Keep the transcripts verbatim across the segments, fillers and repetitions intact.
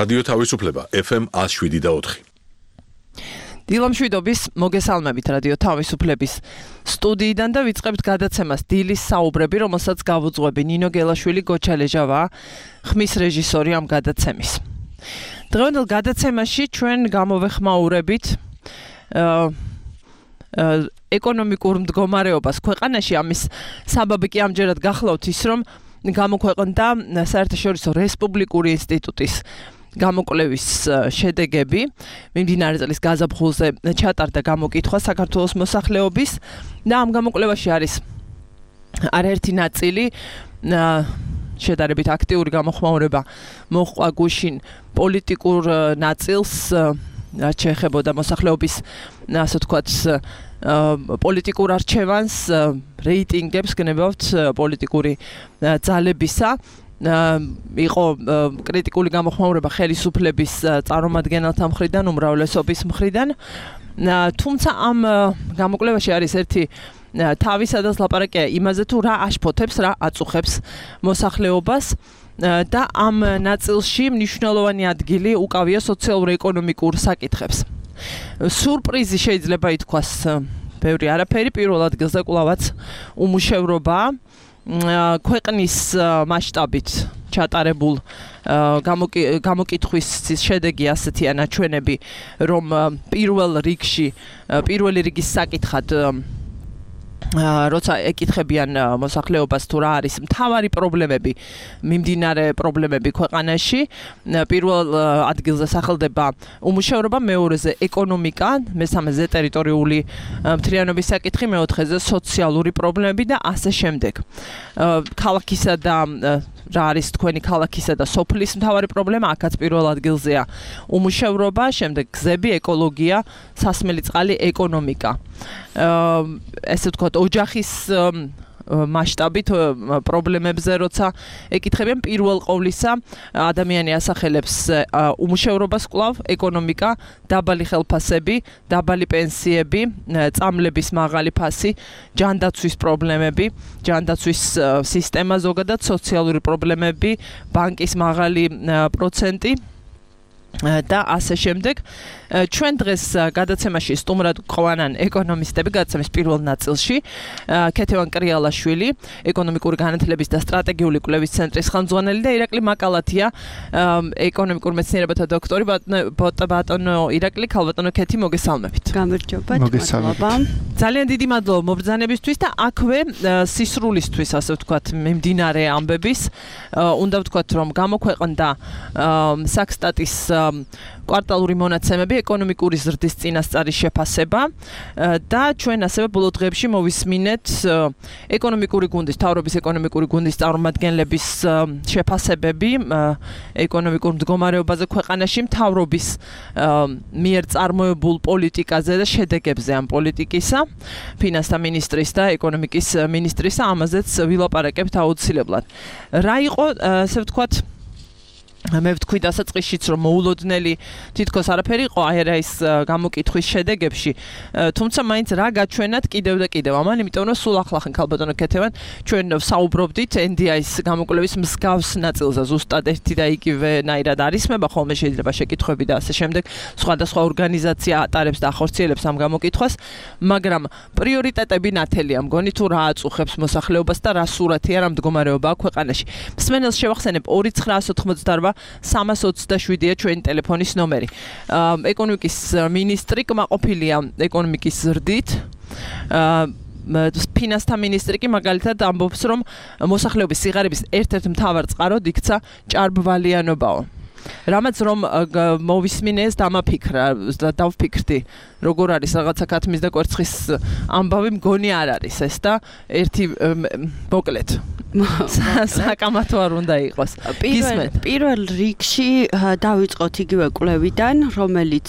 რადიო თავისუფლება ეფ ემ one oh seven და four. დილამშვიდობის მოგესალმებით რადიო თავისუფლების სტუდიიდან და ვიწყებთ გადაცემას დილის საუბრები, რომელსაც გავუძღვები ნინო გელაშვილი, გოჩა ლეჟავა, ხმის რეჟისორი ამ გადაცემის. დღევანდელ გადაცემაში ჩვენ გამოვეხმაურებით ეკონომიკურ მდგომარეობას ქვეყანაში. ამის საბაბი კი ამჯერად გახლავთ ის, რომ გამოქვეყნდა საერთაშორისო რესპუბლიკური ინსტიტუტის გამოკვლევის შედეგები. მიმდინარე წლის გაზაფხულზე ჩატარდა გამოკითხვა საქართველოს მოსახლეობის და ამ გამოკვლევაში არის არაერთი ნაწილი. შედარებით აქტიური გამოხმაურება მოჰყვა გუშინ პოლიტიკურ ნაწილს, რაც შეეხებოდა მოსახლეობის, ასე ვთქვათ, პოლიტიკურ არჩევანს, რეიტინგებს, გნებავთ პოლიტიკური ძალებისა. იყო კრიტიკული გამოხმაურება ხელისუფლების წარმომადგენელთა მხრიდან, უმრავლესობის მხრიდან. თუმცა ამ გამოკვლევაში არის ერთი თავი, სადაც ლაპარაკია იმაზე, თუ რა აშფოთებს, რა აწუხებს მოსახლეობას და ამ ნაწილში მნიშვნელოვანი ადგილი უკავია სოციალურ-ეკონომიკურ საკითხებს. სურპრიზი შეიძლება ითქვას ბევრი არაფერი, პირველ ადგილზე კვლავაც უმუშევრობა. ქვეყნის მასშტაბით ჩატარებულ გამოკითხვის შედეგი ასეთია ნაჩვენები, რომ პირველ რიგში, პირველი რიგის საკითხად როცა ეკითხებიან მოსახლეობას თუ რა არის მთავარი პრობლემები, მიმდინარე პრობლემები ქვეყანაში, პირველ ადგილზე სახელდება უმუშევრობა, მეორეზე ეკონომიკა, მესამეზე ტერიტორიული მთლიანობის საკითხი, მეოთხეზე სოციალური პრობლემები და ასე შემდეგ. ქალაქისა და რა არის თქვენი ქალაქისა და სოფლის მთავარი პრობლემა, აქაც პირველ ადგილზეა უმუშევრობა, შემდეგ გზები, ეკოლოგია, სასმელი წყალი, ეკონომიკა. ესე ვთქვათ, ოჯახის მასშტაბით პრობლემებზე როცა ეკითხებიან, პირველ ყოვლისა ადამიანი ასახელებს უმუშევრობას კვლავ, ეკონომიკა, დაბალი ხელფასები, დაბალი პენსიები, წამლების მაღალი ფასი, ჯანდაცვის პრობლემები, ჯანდაცვის სისტემა ზოგადად, სოციალური პრობლემები, ბანკის მაღალი პროცენტი და ასე შემდეგ. ჩვენ დღეს გადაცემაში სტუმრად გვყვანან ეკონომისტები გადაცემის პირველ ნაწილში. ქეთევან კრიალაშვილი, ეკონომიკური განათლების და სტრატეგიული კვლევის ცენტრის ხელმძღვანელი და ირაკლი მაკალათია, ეკონომიკურ მეცნიერებათა დოქტორი. ბატონო ირაკლი, ქალბატონო ქეთი, მოგესალმებით. გამარჯობა, მადლობა. ძალიან დიდი მადლობა მობრძანებისთვის და აქვე სისრულისთვის, ასე ვთქვათ, მიმდინარე ამბების. უნდა ვთქვათ, რომ გამოქვეყნდა საქსტატის კვარტალური მონაცემები, ეკონომიკური ზრდის წინასწარის შეფასება და ჩვენ ასევე ბოლო დღეებში მოვისმინეთ ეკონომიკური გუნდის, მთავრობის ეკონომიკური გუნდის წარმომადგენლების შეფასებები ეკონომიკურ მდგომარეობაზე ქვეყანაში, მთავრობის მიერ წარმოებულ პოლიტიკაზე და შედეგებზე ამ პოლიტიკისა, ფინანსთა მინისტრის და ეკონომიკის მინისტრისა, ამაზეც ვილაპარაკებთ აუცილებლად. რა იყო, ასე ვთქვათ, მე ვთქვი დასაწყისშიც, რომ მოულოდნელი თითქოს არაფერი იყო აი რა ის გამოკითხვის შედეგებში, თუმცა მაინც რა გაჩვენათ კიდევ და კიდევ ამან, იმიტომ რომ სულ ახლახან ქალბატონო ქეთევან ჩვენ საუბრობდით ენ დი აის გამოკვლევის მსგავს ნაწილზე, ზუსტად ერთი და იგივენაირად არისმება ხოლმე შეიძლება შეკითხვები და ასე შემდეგ, სხვადასხვა ორგანიზაცია ატარებს და ახორციელებს ამ გამოკითხვას, მაგრამ პრიორიტეტები ნათელია, მგონი თუ რა აწუხებს მოსახლეობას და რა სურათია, რა მდგომარეობაა ქვეყანაში. მსმენელს შევახსენებ ორი ცხრა ოცდაოთხ სამას ოცდაშვიდია ჩვენი ტელეფონის ნომერი. ეკონომიკის მინისტრი კმაყოფილია ეკონომიკის ზრდით. ფინანსთა მინისტრი კი მაგალითად ამბობს, რომ მოსახლეობის სიღარიბის ერთ-ერთ მთავარ წყაროდ იქცა ჭარბვალიანობაო. რამაც რომ მოვისმინეს დამაფიქრა და დავფიქრდი, როგორ არის რაღაცა ქათმის და კვერცხის ამბავი, მგონი არ არის ეს და ერთი მოკლედ საკამათო არ უნდა იყოს. პირველ რიგში დავიწყოთ იგივე კვლევიდან, რომელიც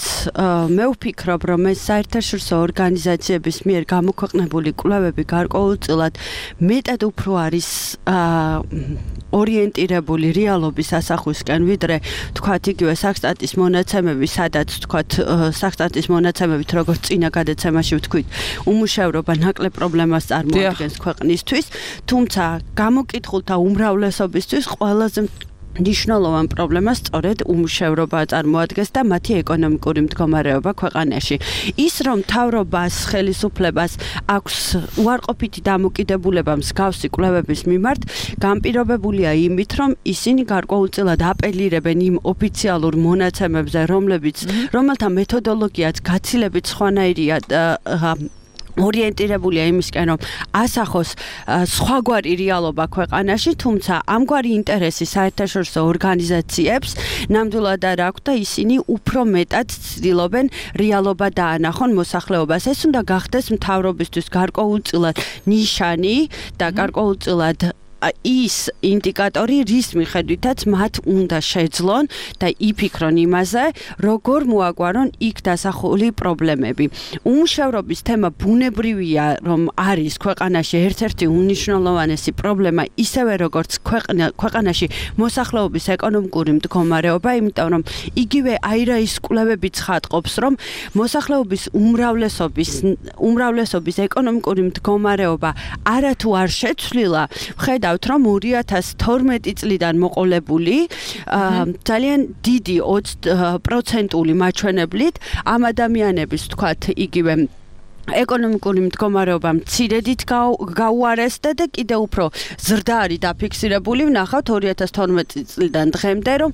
მე ვფიქრობ, რომ ეს საერთაშორისო ორგანიზაციების მიერ გამოქვეყნებული კვლევები გარკვეულწილად მეტად უფრო არის ორიენტირებული რეალობის ასახვისკენ, ვიდრე თქვათ იგივე საქსტატის მონაცემები, სადაც თქვათ საქსტატის მონაცემებით, როგორც წინა გადაცემაში ვთქვით, უმუშევრობა ნაკლებ პრობლემას წარმოადგენს ქვეყნისთვის, თუმცა გამოკითხულთა უმრავლესობისთვის ყველაზე ნიშნულოვან პრობლემას სწორედ უმუშევრობა წარმოადგენს და მათი ეკონომიკური მდგომარეობა ქვეყანაში. ის რომ მთავრობას, ხელისუფლებას აქვს უარყოფითი დამოკიდებულება მსგავსი კვლევების მიმართ, განპირობებულია იმით, რომ ისინი გარკვეულწილად აპელირებენ იმ ოფიციალურ მონაცემებზე, რომლებიც რომელთა მეთოდოლოგიაც გაცილებით სხვანაირია ორიენტირებულია იმისკენ, რომ ასახოს სხვაგვარი რეალობა ქვეყანაში, თუმცა ამგვარი ინტერესი საერთაშორისო ორგანიზაციებს ნამდვილად არ აქვს და ისინი უფრო მეტად ცდილობენ რეალობა დაანახონ მოსახლეობას. ეს უნდა გახდეს მთავრობისთვის გარკვეულწილად ნიშანი და გარკვეულწილად ის ინდიკატორი, რის მიხედვითაც მათ უნდა შეძლონ და იფიქრონ იმაზე, როგორ მოაგვარონ იქ დასახული პრობლემები. უმუშევრობის თემა ბუნებრივია, რომ არის ქვეყანაში ერთ-ერთი უნიშნულოვანესი პრობლემა, ისევე როგორც ქვეყანაში მოსახლეობის ეკონომიკური მდგომარეობა, იმიტომ რომ იგივე აირაის კვლევები ცხადყოფს, რომ მოსახლეობის უმრავლესობის უმრავლესობის ეკონომიკური მდგომარეობა არათუ არ შეცვლილა, ხედავთ რომ ორი ათას თორმეტი წლიდან მოყოლებული ძალიან დიდი ოცი პროცენტული მაჩვენებლით ამ ადამიანების თქვათ იგივე ეკონომიკური მდგომარეობა მცირედით გაუარესდა და კიდევ უფრო ზრდა არის დაფიქსირებული. ვნახავთ ორი ათას თორმეტი წლიდან დღემდე, რომ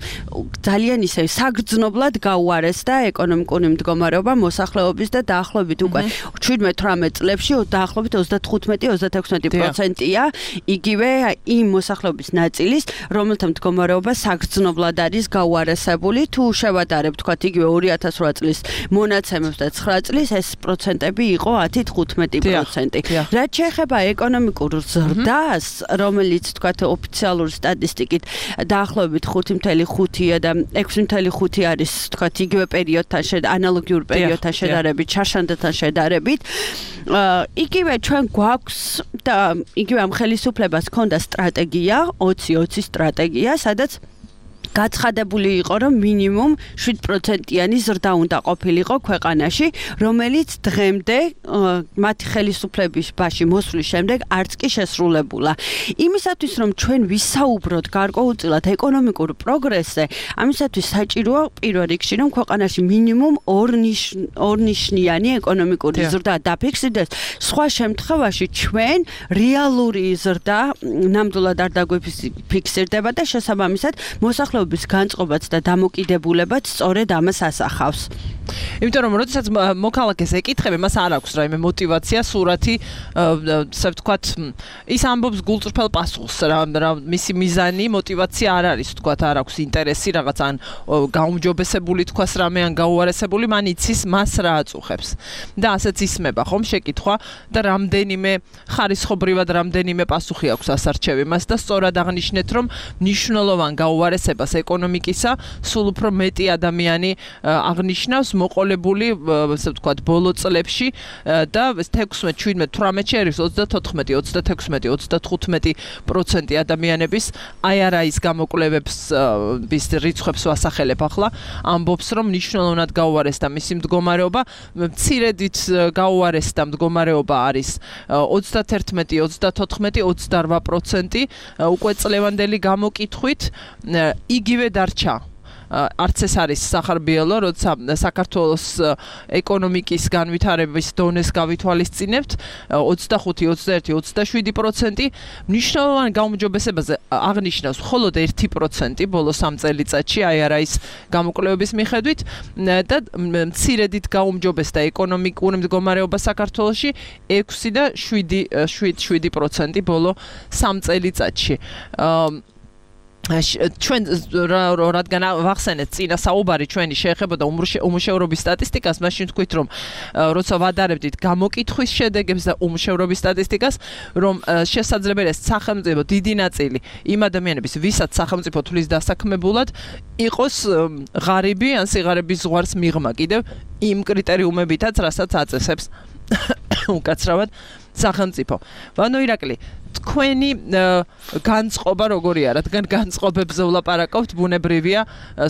ძალიან ისე საგრძნობლად გაუარესდა ეკონომიკური მდგომარეობა მოსახლეობის და დაახლოებით უკვე შვიდმეტ თვრამეტ წლებში დაახლოებით ოცდათხუთმეტი ოცდაექვსმეტი პროცენტია იგივე იმ მოსახლეობის ნაწილის, რომელთა მდგომარეობა საგრძნობლად არის გაუარესებული. თუ შევადარებთ თქვათ იგივე ორი ათას რვა წლის მონაცემებს და ცხრა წლის ეს პროცენტები იყო ათი თხუთმეტი პროცენტი. რაც შეეხება ეკონომიკურ ზრდას, რომელიც თქვათ ოფიციალური სტატისტიკით დაახლოებით ხუთი წუთი ხუთია და ექვსი წუთი ხუთი არის თქვათ იგივე პერიოდთან ანალოგიურ პერიოდთან შედარებით, ჩაშანდათან შედარებით. იგივე ჩვენ გვაქვს და იგივე ამ ხელისუფლებას ჰქონდა სტრატეგია, ოცი ოცი სტრატეგია, სადაც გაცხადებული იყო, რომ მინიმუმ შვიდ პროცენტიანი ზრდა უნდა ყოფილიყო ქვეყანაში, რომელიც დღემდე მათი ხელისუფლების ბაში მოსვლის შემდეგ არც კი შესრულებულა. იმისათვის, რომ ჩვენ ვისაუბროთ გარკვეულწილად ეკონომიკურ პროგრესზე, ამისათვის საჭიროა პირველ რიგში, რომ ქვეყანაში მინიმუმ ორნიშნიანი ეკონომიკური ზრდა დაფიქსირდეს. სხვა შემთხვევაში ჩვენ რეალური ზრდა ნამდვილად არ დაგვიფიქსირდება და შესაბამისად მოსახლეობის განწყობაც და დამოკიდებულებაც სწორედ ამას ასახავს. იმიტომ რომ როდესაც მოქალაქეს ეკითხები, მას არ აქვს რაიმე мотиваცია, სურათი, ასე ვთქვათ, ის ამბობს გულწრფელ პასუხს, რა მისი მიზანი, мотиваცია არ არის, ვთქვათ, არ აქვს ინტერესი რაღაც ან გაუმჯობესებული თქვას რამე ან გაუარესებული, მან იცის მას რა აწუხებს. და ასეც ისმება ხომ შეკითხვა და რამდენიმე ხარისხობრივად რამდენიმე პასუხი აქვს ასარჩევი მას და სწორად აღნიშნეთ, რომ მნიშვნელოვან გაუარესებას ეკონომიკისა სულ უფრო მეტი ადამიანი აღნიშნავს მოყოლებული, ასე ვთქვათ, ბოლო წლებში და ექვსმეტ, შვიდმეტ, თვრამეტში არის ოცდათოთხმეტი, ოცდაექვსმეტი, ოცდათხუთმეტი პროცენტი ადამიანების აი არა ის გამოკვლევების რიცხვებს ვასახელებ ახლა, ამბობს, რომ მნიშვნელოვნად გაუარესდა მისი მდგომარეობა, მცირედით გაუარესდა მდგომარეობა არის ოცდაათერთმეტი, ოცდათოთხმეტი, ოცდარვა პროცენტი უკვე წლევანდელი გამოკითხვით იგივე დარჩა. არც ეს არის სახარბიელო, როცა საქართველოს ეკონომიკის განვითარების დონეს გავითვალისწინებთ, ოცდახუთი, ოცდაერთი, ოცდაშვიდი პროცენტი მნიშვნელოვან გაუმჯობესებაზე აღნიშნავს მხოლოდ ერთი პროცენტი ბოლო სამ წელიწადში, აი არა ის გამოკვლევების მიხედვით და მცირედით გაუმჯობესდა ეკონომიკური მდგომარეობა საქართველოში ექვსი და შვიდი პროცენტი ბოლო სამ წელიწადში. ჩვენ რადგან ვახსენეთ წინა საუბარი ჩვენი შეეხებოდა უმუშევრობის სტატისტიკას, მაშინ თქვით, რომ როცა ვადარებდით გამოკითხვის შედეგებს და უმუშევრობის სტატისტიკას, რომ შესაძლებელია სახელმწიფო დიდი ნაწილი იმ ადამიანების, ვისაც სახელმწიფო თვლის დასაქმებულად, იყოს ღარიბი ან სიღარიბის ზღვარს მიღმა კიდევ იმ კრიტერიუმებითაც, რასაც აწესებს უკაცრავად სახელმწიფო. ვანო ირაკლი, თქვენი განწყობა როგორია, რადგან განწყობებზე ვლაპარაკობთ, ბუნებრივია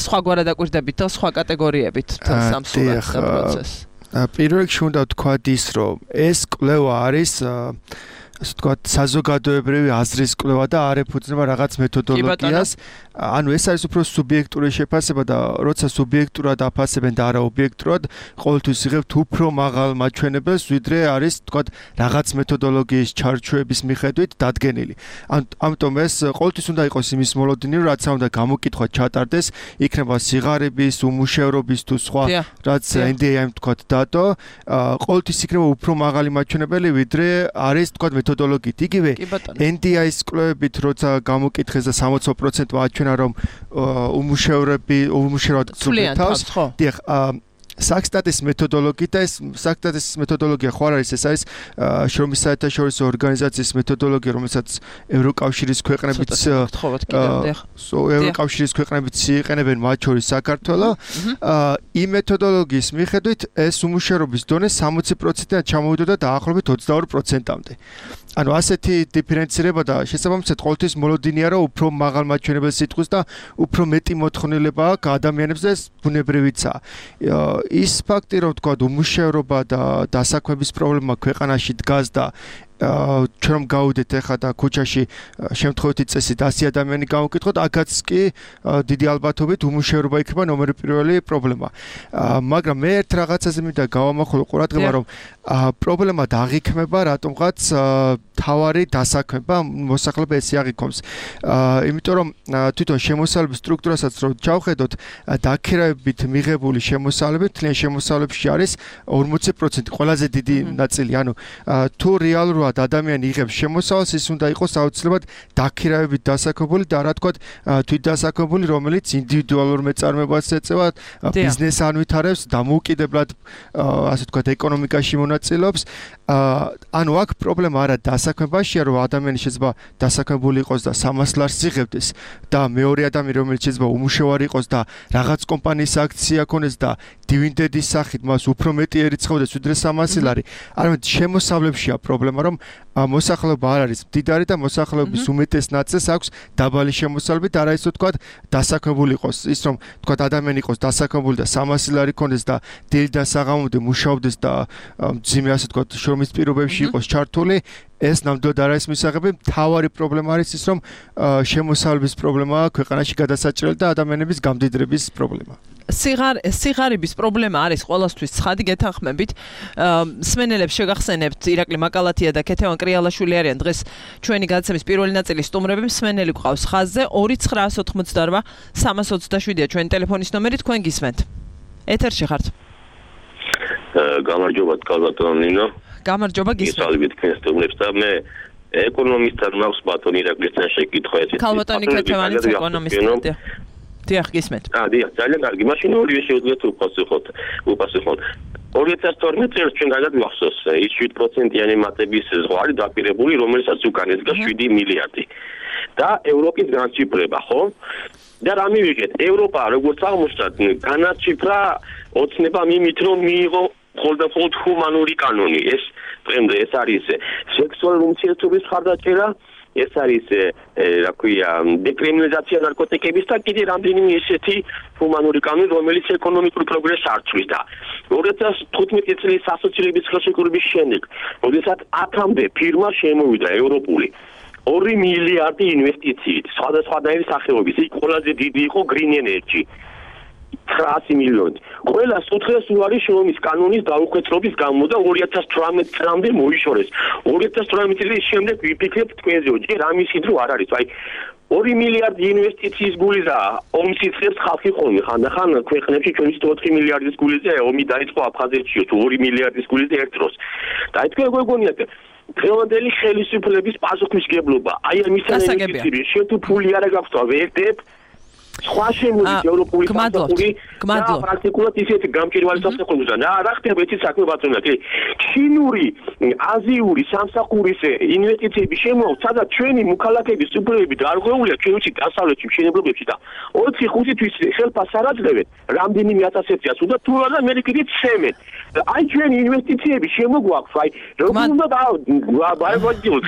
სხვაგვარად აკვირდებით და სხვა კატეგორიებით სამსულად პროცესს. პირველ რიგში უნდა ვთქვათ ის, რომ ეს კვლევა არის ასე ვთქვათ, საზოგადოებრივი აზრის კვლევა და არ ეფუძნება რაღაც მეთოდოლოგიას. ანუ ეს არის უფრო სუბიექტური შეფასება და როცა სუბიექტურად აფასებენ და არა ობიექტურად, ყოველთვის იღებთ უფრო მაღალ მაჩვენებელს, ვიდრე არის ვთქვათ რაღაც მეთოდოლოგიის ჩარჩოების მიხედვით დადგენილი. ამიტომ ეს ყოველთვის უნდა იყოს იმის მოლოდინი, რომ რაც უნდა გამოკითხვა ჩატარდეს, იქნება სიღარიბის, უმუშევრობის თუ სხვა რაც ენ დი ეი-მ ვთქვათ დატო, ყოველთვის იქნება უფრო მაღალი მაჩვენებელი, ვიდრე არის ვთქვათ მეთოდოლოგიით. იგივე ენ დი ეი-ის კვლევებით როცა გამოკითხეს და სამოცი პროცენტი აჩვენა რომ უმუშევრები უმუშევრად გწუხეთავს. დიახ, საქსტატის მეთოდოლოგია და ეს საქსტატის მეთოდოლოგია ხო არ არის, ეს არის შრომის საერთაშორისო ორგანიზაციის მეთოდოლოგია, რომელსაც ევროკავშირის ქვეყნებიც ევროკავშირის ქვეყნებიც იყენებენ, მათ შორის საქართველო. იმ მეთოდოლოგიის მიხედვით ეს უმუშევრობის დონე სამოცი პროცენტიდან ჩამოვიდოდა დაახლოებით ოცდაორი პროცენტამდე. ანუ ასეთი დიფერენცირება და შესაბამისად ყოველთვის მოლოდინია, რომ უფრო მაღალ მაჩვენებელს იტყვის და უფრო მეტი მოთხოვნილება აქვს ადამიანებს და ეს ბუნებრივიცაა. ის ფაქტი, რომ თქვა უმუშევრობა და დასაქმების პრობლემა ქვეყანაში დგას და ჩვენ რომ გავუდეთ ახლა და ქუჩაში შემთხვევითი წესით ასი ადამიანი გავუკითხოთ, აქაც კი დიდი ალბათობით უმუშევრობა იქნება ნომერი პირველი პრობლემა. მაგრამ მე ერთ რაღაცაზე მინდა გავამახვილო ყურადღება, რომ პრობლემა დაღიქმება რატომღაც თავარი დასაქმება მოსახლეობა ესე აღიქვამს. იმიტომ რომ თვითონ შემოსავლების სტრუქტურასაც რო ჩავხედოთ, დაქირავებით მიღებული შემოსავლები თლიან შემოსავლებში არის ორმოცი პროცენტი, ყველაზე დიდი ნაწილი. ანუ თუ რეალურად ადამიანი იღებს შემოსავალს, ის უნდა იყოს აუცილებლად დაქირავებით დასაქმებული და რა თქვა თვითდასაქმებული, რომელიც ინდივიდუალურ მეწარმეობას ეწევა, ბიზნესს ანვითარებს, დამოუკიდებლად ასე ვთქვათ ეკონომიკაში მონაწილეობს. ანუ აქ პრობლემა არა დასაქმებაშია, რომ ადამიანი შეიძლება დასაქმებული იყოს და სამას ლარს იღებდეს და მეორე ადამიანი, რომელიც შეიძლება უმუშევარი იყოს და რაღაც კომპანიის აქცია ქონდეს და დივიდენდის სახით მას უფრო მეტი ერიცხავდეს ვიდრე სამასი ლარი. არამედ შემოსავლებშია პრობლემა, რომ მოსახლეობა არ არის მდიდარი და მოსახლეობის უმეტეს ნაწილს აქვს დაბალი შემოსავლები და არა ისე ვთქვათ დასაქმებული იყოს. ის რომ ვთქვათ ადამიანი იყოს დასაქმებული და სამასი ლარი ქონდეს და დილიდან საღამომდე მუშაობდეს და მძიმე ასე ვთქვათ შრომის პირობებში იყოს ჩართული, ეს ნამდვილად არ არის მისაღები. მთავარი პრობლემა არის ის, რომ შემოსავლების პრობლემაა ქვეყანაში გადასაჭრელი და ადამიანების გამდიდრების პრობლემა. სიღარ სიღარიბის პრობლემა არის ყველასთვის ცხადი, გეთანხმებით. მსმენელებს შეგახსენებთ, ირაკლი მაკალათია და ქეთევან კრიალაშვილი არიან დღეს ჩვენი გადაცემის პირველი ნაწილის სტუმრები. მსმენელი გვყავს ხაზზე ორი ცხრაას ოთხმოცდარვა სამას ოცდაშვიდია ჩვენი ტელეფონის ნომერი, თქვენ გისმენთ. ეთერში ხართ. გამარჯობა კალბატონო ნინო. გამარჯობა, გისმენთ. გისალვით თქვენ სტუმრებს და მე ეკონომისტად მაქვს ბატონი ირაკლისთან შეკითხვა ეს. კალბატონი ქეთევანის ეკონომისტია. დიახ, გისმენთ. აა, დიახ, ძალიან კარგი. მაშინ ორივე შეუძლიათ უპასუხოთ. უპასუხოთ. ორი ათას თორმეტ წელს ჩვენ გადაგახსოვს ის შვიდ პროცენტიანი მატების ზღვარი დაპირებული, რომელსაც უკან ეძგა შვიდი მილიარდი. და ევროპის განციფრება, ხო? და რა მივიღეთ? ევროპა როგორც აღმოჩნდა, განაციფრა ოცნება მიმით, რომ მიიღო მხოლოდ ჰუმანური კანონი. ეს დღემდე ეს არის სექსუალური უმცირესობის ხარდაჭერა, ეს არის რა ქვია დეკრიმინალიზაცია ნარკოტიკების და კიდე რამდენიმე ესეთი ჰუმანური კანონი, რომელიც ეკონომიკურ პროგრესს არჩევს და ორი ათას თხუთმეტი წლის ასოცირების ხელშეკრულების შემდეგ, როდესაც ათამდე ფირმა შემოვიდა ევროპული ორი მილიარდი ინვესტიციით სხვადასხვანაირი სახეობის, იქ ყველაზე დიდი იყო green energy ცხრაასი მილიონი. ყველა სუთხეს უარი შრომის კანონის დაუხვეწრობის გამო და ორი ათას თვრამეტ წლამდე მოიშორეს. ორი ათას თვრამეტ წლის შემდეგ ვიფიქრებთ თქვენზე, ჯერ ამისით რო არ არის. აი ორი მილიარდი ინვესტიციის გულიზა ომს იწყებს ხალხი ხოლმე. ხანდახან ქვეყნებში ჩვენს ოთხი მილიარდის გულიზა ომი დაიწყო აფხაზეთში, თუ ორი მილიარდის გულიზა ერთ დროს. და აი თქვენ გეგონიათ დღევანდელი ხელისუფლების პასუხისმგებლობა. აი ამისა ინვესტიციები, შენ თუ ფული არ გაქვს და ვერდებ სხვა შემოდის ევროპული სამსახური და პრაქტიკულად ისეთი გამჭირვალი სამსახური და რა ხდება იცით საქმე ბატონო კი ჩინური აზიური სამსახურის ინვესტიციები შემოაქვს სადაც ჩვენი მოქალაქეების უფლებები დარღვეულია ჩვენ ვიცით დასავლეთში მშენებლობებში და ოთხი ხუთი თვის ხელფას არ აძლევენ რამდენიმე ათასეთია სულ და თუ არა მე კიდე ცემენ აი ჩვენი ინვესტიციები შემოგვაქვს აი როგორ უნდა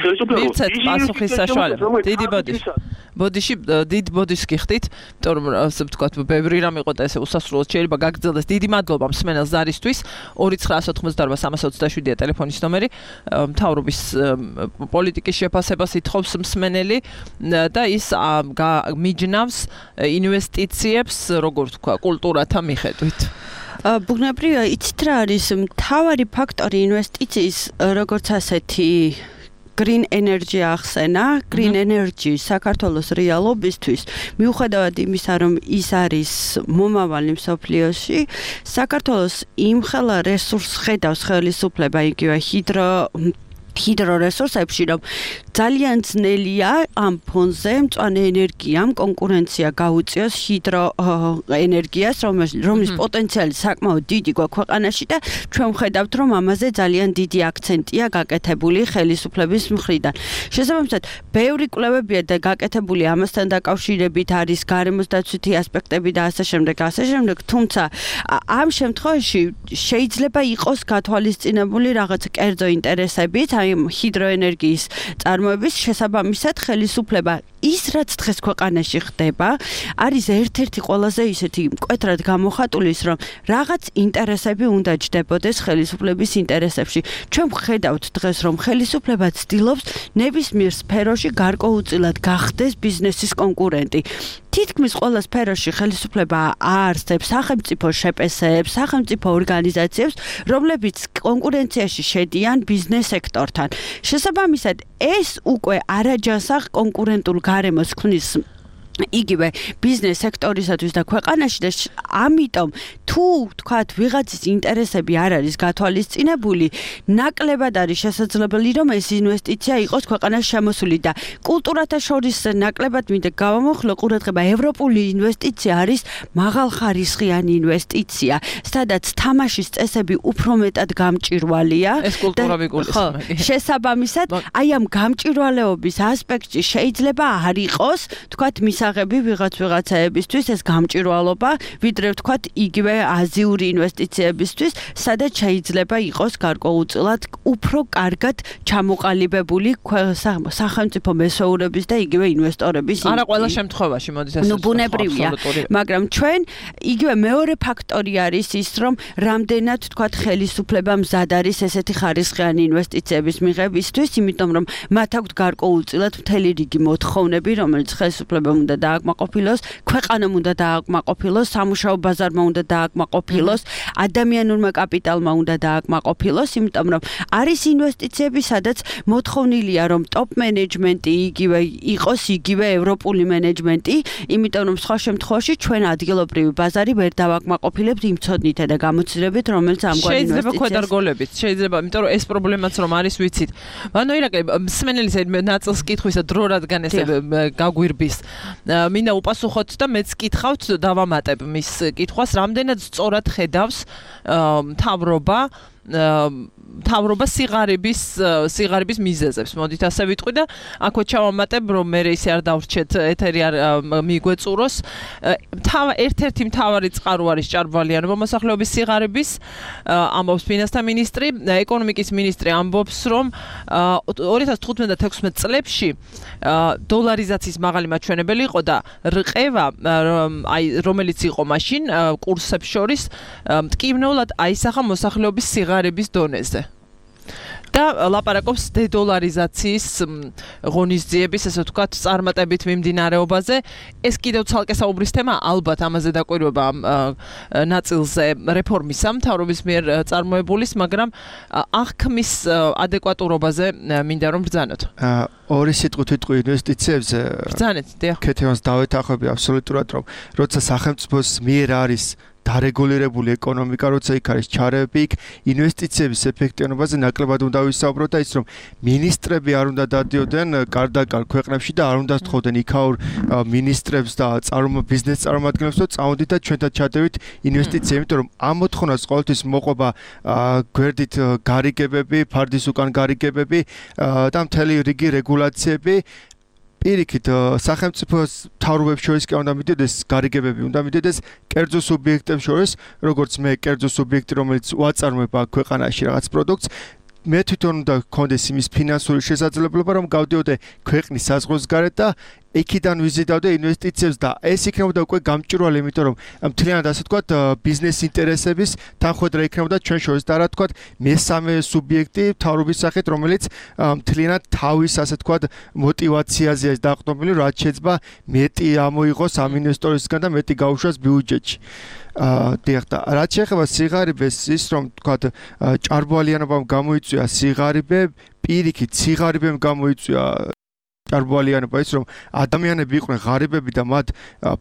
ხელისუფლება პასუხის საშუალება დიდი ბოდიში ბოდიში დიდ ბოდიშს გიხდით იმიტომ რომ ასე ვთქვათ, ბევრი რამ იყო და ესე უსასრულოდ შეიძლება გაგრძელდეს. დიდი მადლობა მსმენელს ზარისთვის. ორი ცხრა ოცდაოთხმოცდაორბა სამას ოცდაშვიდია ტელეფონის ნომერი. მთავრობის პოლიტიკის შეფასებას ითხოვს მსმენელი და ის მიჯნავს ინვესტიციებს, როგორ ვთქვა, კულტურათა მიხედვით. ბუნებრივია, იცით რა არის მთავარი ფაქტორი ინვესტიციის, როგორც ასეთი green energy ახსენა, green energy საქართველოს რეალობისთვის, მიუხედავად იმისა, რომ ის არის მომავალი მსოფლიოში, საქართველოს იმხელა რესურსს ხედავს ხელისუფლება, იგივე ჰიდრო ჰიდრორესურსებში, რომ ძალიან ძნელია ამ ფონზე მწვანე ენერგიამ კონკურენცია გაუწიოს ჰიდროენერგიას, რომლის პოტენციალი საკმაოდ დიდი გვაქვს ქვეყანაში და ჩვენ ვხედავთ, რომ ამაზე ძალიან დიდი აქცენტია გაკეთებული ხელისუფლების მხრიდან. შესაბამისად, ბევრი კვლევებია და გაკეთებული ამასთან დაკავშირებით არის გარემოს დაცვითი ასპექტები და ასე შემდეგ, ასე შემდეგ, თუმცა ამ შემთხვევაში შეიძლება იყოს გათვალისწინებული რაღაც კერძო ინტერესებიც, აი ჰიდროენერგიის წარმოების შესაბამისად ხელისუფლება ის რაც დღეს ქვეყანაში ხდება არის ერთ-ერთი ყველაზე ისეთი მკვეთრად გამოხატული ის რომ რაღაც ინტერესები უნდა ჯდებოდეს ხელისუფლების ინტერესებში. ჩვენ ვხედავთ დღეს რომ ხელისუფლება ცდილობს ნებისმიერ სფეროში გარკვეულწილად გახდეს ბიზნესის კონკურენტი. თითქმის ყველა სფეროში ხელისუფლება აარსებს სახელმწიფო შეპესეებს, სახელმწიფო ორგანიზაციებს, რომლებიც კონკურენციაში შედიან ბიზნეს სექტორთან. შესაბამისად, ეს უკვე არაჯანსაღ კონკურენტულ გარემოს ქმნის იგივე ბიზნეს სექტორისათვის და ქვეყანაში და ამიტომ თუ თქვათ ვიღაცის ინტერესები არ არის გათვალისწინებული, ნაკლებად არის შესაძლებელი რომ ეს ინვესტიცია იყოს ქვეყანაში შემოსული და კულტურათა შორის ნაკლებად მინდა გავამოხლო ყურადღება ევროპული ინვესტიცია არის მაღალხარისხიანი ინვესტიცია, სადაც თამაშის წესები უფრო მეტად გამჭვირვალეა ეს კულტურა ვიგულისხმები. შესაბამისად, აი ამ გამჭვირვალეობის ასპექტში შეიძლება არ იყოს თქვათ მისაღები ვიღაც ვიღაცაებისთვის ეს გამჭვირვალობა, ვიდრე ვთქვათ იგივე აზიური ინვესტიციებისთვის, სადაც შეიძლება იყოს გარკვეულწილად უფრო კარგად ჩამოყალიბებული სახელმწიფო მესვეურების და იგივე ინვესტორების. არა ყველა შემთხვევაში, მოდით ასე. ნუ ბუნებრივია, მაგრამ ჩვენ იგივე მეორე ფაქტორი არის ის, რომ რამდენად თქვათ ხელისუფლება მზად არის ესეთი ხარისხიანი ინვესტიციების მიღებისთვის, იმიტომ რომ მათ აქვთ გარკვეულწილად მთელი რიგი მოთხოვნები, რომელიც ხელისუფლებამ უნდა დააკმაყოფილოს, ქვეყანამ უნდა დააკმაყოფილოს, სამუშაო ბაზარმა უნდა დააკმაყოფილოს, ადამიანურმა კაპიტალმა უნდა დააკმაყოფილოს, იმიტომ რომ არის ინვესტიციები, სადაც მოთხოვნილია რომ ტოპ მენეჯმენტი იგივე იყოს იგივე ევროპული მენეჯმენტი, იმიტომ რომ სხვა შემთხვევაში ჩვენ ადგილობრივი ბაზარი ვერ დავაკმაყოფილებთ იმ ცოდნითა და გამოცდილებით, რომელიც ამგვარ ინვესტიციას შეიძლება ქვედარგოლებით, შეიძლება, იმიტომ რომ ეს პრობლემაც რომ არის ვიცით. ანუ ირაკლი, მსმენელის ნაწილს კითხვისა დრო რადგან ესე გაგვირბის. მინდა უპასუხოთ და მეც კითხავთ დავამატებ მის კითხვას, რამდენად სწორად ხედავს მთავრობა მთავრობა სიღარიბის სიღარიბის მიზეზებს. მოდით ასე ვიტყვი და აქვე ჩავამატებ, რომ მე ისე არ დავრჩეთ ეთერი არ მიგვეწუროს. თავ ერთ-ერთი მთავარი წყარო არის ჭარბვალიანობა მოსახლეობის სიღარიბის, ამბობს ფინანსთა მინისტრი, ეკონომიკის მინისტრი ამბობს, რომ ორი ათას თხუთმეტ და თექვსმეტ წლებში დოლარიზაციის მაღალი მაჩვენებელი იყო და რყევა, აი რომელიც იყო მაშინ კურსებს შორის, მტკივნეულად აისახა მოსახლეობის სიღარიბის დონეზე. და ლაპარაკობს დედოლარიზაციის ღონისძიების, ესე ვთქვათ, წარმატებით მიმდინარეობაზე. ეს კიდევ ცალკე საუბრის თემა, ალბათ ამაზე დაკვირვება ნაწილზე რეფორმისა მთავრობის მიერ წარმოებულის, მაგრამ აღქმის ადეკვატურობაზე მინდა რომ ბრძანოთ. ორი სიტყვით ვიტყვი ინვესტიციებზე. ბრძანეთ, დიახ. ქეთევანს დავეთანხმები აბსოლუტურად, რომ როცა სახელმწიფოს მიერ არის დარეგულირებული ეკონომიკა, როცა იქ არის ჩარევები, იქ ინვესტიციების ეფექტიანობაზე ნაკლებად უნდა ვისაუბროთ და ის რომ მინისტრები არ უნდა დადიოდნენ კარდაკარ ქვეყნებში და არ უნდა სთხოვდნენ იქაურ მინისტრებს და ბიზნეს წარმომადგენლებს, რომ წავიდით და ჩვენთან ჩადევით ინვესტიცია, იმიტომ რომ ამ მოთხოვნას ყოველთვის მოყვება გვერდით გარიგებები, ფარდის უკან გარიგებები და მთელი რიგი რეგულაციები. პირიქით სახელმწიფოს მთავრობებს შორის კი უნდა მიდიოდეს გარიგებები, უნდა მიდიოდეს კერძო სუბიექტებს შორის, როგორც მე კერძო სუბიექტი, რომელიც უაწარმოებ აქ ქვეყანაში რაღაც პროდუქტს, მე თვითონ უნდა გქონდეს იმის ფინანსური შესაძლებლობა, რომ გავდიოდე ქვეყნის საზღვრებს გარეთ და იქიდან ვიზიდავდა ინვესტიციებს და ეს იქნებოდა უკვე გამჭვირვალე, იმიტომ რომ მთლიანად ასე ვთქვათ, ბიზნეს ინტერესების თანხმდრა იქნებოდა ჩვენ შორის და რა ვთქვათ, მესამე სუბიექტი მთავრობის სახით, რომელიც მთლიანად თავის ასე ვთქვათ, мотиваციაზეა დაყრდნობილი, რაც შეიძლება მეტი ამოიღოს ამ ინვესტორისგან და მეტი გაუშვას ბიუჯეტში. აა დიახ და რაც შეეხება სიღარიბეს ის რომ ვთქვათ ჭარბვალიანობამ გამოიწვია სიღარიბე პირიქით სიღარიბემ გამოიწვია ჭარბვალიანობა ის რომ ადამიანები იყვნენ ღარიბები და მათ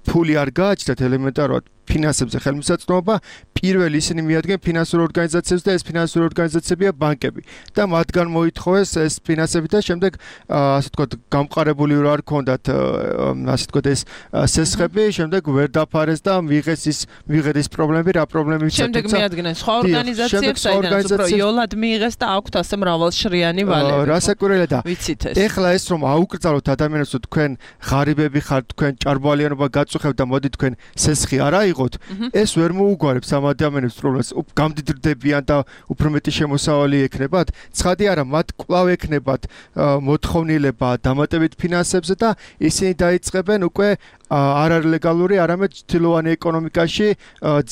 ფული არ გააჩნდათ ელემენტარულად ფინანსებზე ხელმისაწვდომობა პირველ ისინი მიადგენ ფინანსურ ორგანიზაციებს და ეს ფინანსური ორგანიზაციებია ბანკები და მათგან მოითხოვეს ეს ფინანსები და შემდეგ ასე ვთქვათ გამყარებული რა არ ქონდათ ასე ვთქვათ ეს სესხები შემდეგ ვერ დაფარეს და მიიღეს ის მიიღეს ის პრობლემები რა პრობლემები შემდეგ მიადგნენ სხვა ორგანიზაციებს საიდანაც უფრო იოლად მიიღეს და აქვთ ასე მრავალშრიანი ვალები რასაკვირველია და ვიცით ეს ეხლა ეს რომ აუკრძალოთ ადამიანებს რომ თქვენ ღარიბები ხართ თქვენ ჭარბვალიანობა გაწუხებთ და მოდი თქვენ სესხი არ აიღოთ ეს ვერ მოუგვარებს ამ ადამიანებს პრობლემას გამდიდრდებიან და უფრო მეტი შემოსავალი ექნებათ ცხადი არა მათ კვლავ ექნებათ მოთხოვნილება დამატებით ფინანსებზე და ისინი დაიწყებენ უკვე არ არის ლეგალური არამედ თილოვანი ეკონომიკაში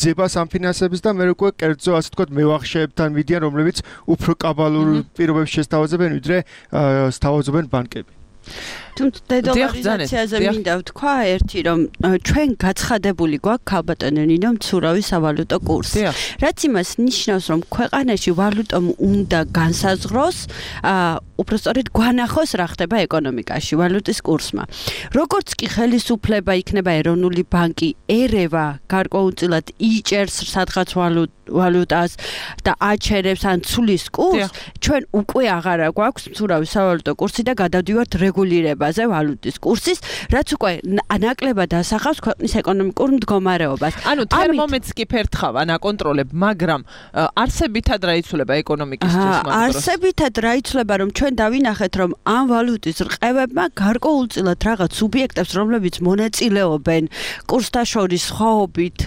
ძებას ამ ფინანსების და მე უკვე კერძო ასე ვთქვათ მევახშეებთან მიდიან რომლებიც უფრო კაბალურ პირობებს შესთავაზებენ ვიდრე სთავაზობენ ბანკები თუმცა დედოლარიზაციაზე მინდა ვთქვა ერთი რომ ჩვენ გაცხადებული გვაქვს ქალბატონო ნინო მცურავი სავალუტო კურსი რაც იმას ნიშნავს რომ ქვეყანაში ვალუტომ უნდა განსაზღვროს უпростоრედ გვანახოს რა ხდება ეკონომიკაში ვალუტის კურსმა როგორც კი ხელისუფლება იქნება ეროვნული ბანკი ერევა გარკვეულწილად იჭერს სადღაც ვალუტას და აჩერებს ან ცulis კურსს ჩვენ უკვე აღარა გვაქვს მცურავი სავალუტო კურსი და გადავდივართ რეგულირებაზე ვალუტის კურსის რაც უკვე ნაკლებად ასახავს ქვეყნის ეკონომიკურ მდგომარეობას ანუ თერმომეტრს კი ფერთხავან აკონტროლებ მაგრამ არსებითად რა იცვლება ეკონომიკისთვის მაგრამ არსებითად რა იცვლება რომ ჩვენ დავინახეთ რომ ამ ვალუტის რყევებმა გარკვეულწილად რაღაც სუბიექტებს რომლებიც მონაწილეობენ კურსთა შორის სხვაობით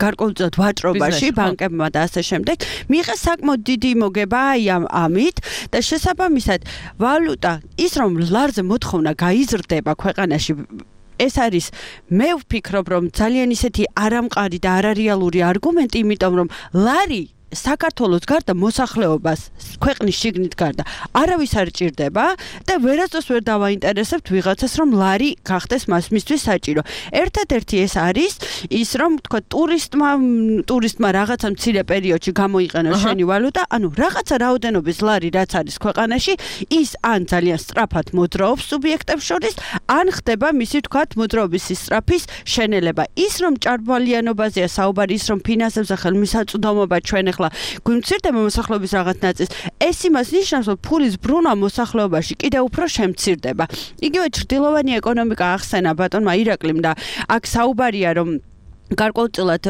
გარკვეულწილად ვაჭრობაში ბანკებმა და ასე შემდეგ მიიღეს საკმაოდ დიდი მოგება აი ამ ამით და შესაბამისად ვალუტა ის რომ ლარზე მოთხოვნა გაიზრდება ქვეყანაში ეს არის მე ვფიქრობ რომ ძალიან ისეთი არამყარი და არარეალური არგუმენტი იმიტომ რომ ლარი საქართველოს გარდა მოსახლეობას ქვეყნის შიგნით გარდა არავის არ ჭირდება და ვერასდროს ვერ დავაინტერესებთ ვიღაცას რომ ლარი გახდეს მას მისთვის საჭირო. ერთადერთი ეს არის ის რომ თქვა ტურისტმა ტურისტმა რაღაცა მცირე პერიოდში გამოიყენოს შენი ვალუტა, ანუ რაღაცა რაოდენობის ლარი რაც არის ქვეყანაში, ის ან ძალიან სწრაფად მოძრაობს სუბიექტებს შორის, ან ხდება მისი თქვა მოძრაობის სწრაფის შენელება. ის რომ ჭარბვალიანობაზეა საუბარი, ის რომ ფინანსებზე ხელმისაწვდომობა ჩვენ ახლა გვიმცირდება მოსახლეობის რაღაც ნაწილს, ეს იმას ნიშნავს, რომ ფულის ბრუნვა მოსახლეობაში კიდევ უფრო შემცირდება. იგივე ჩრდილოვანი ეკონომიკა ახსენა ბატონმა ირაკლიმ და აქ საუბარია რომ გარკვეულწილად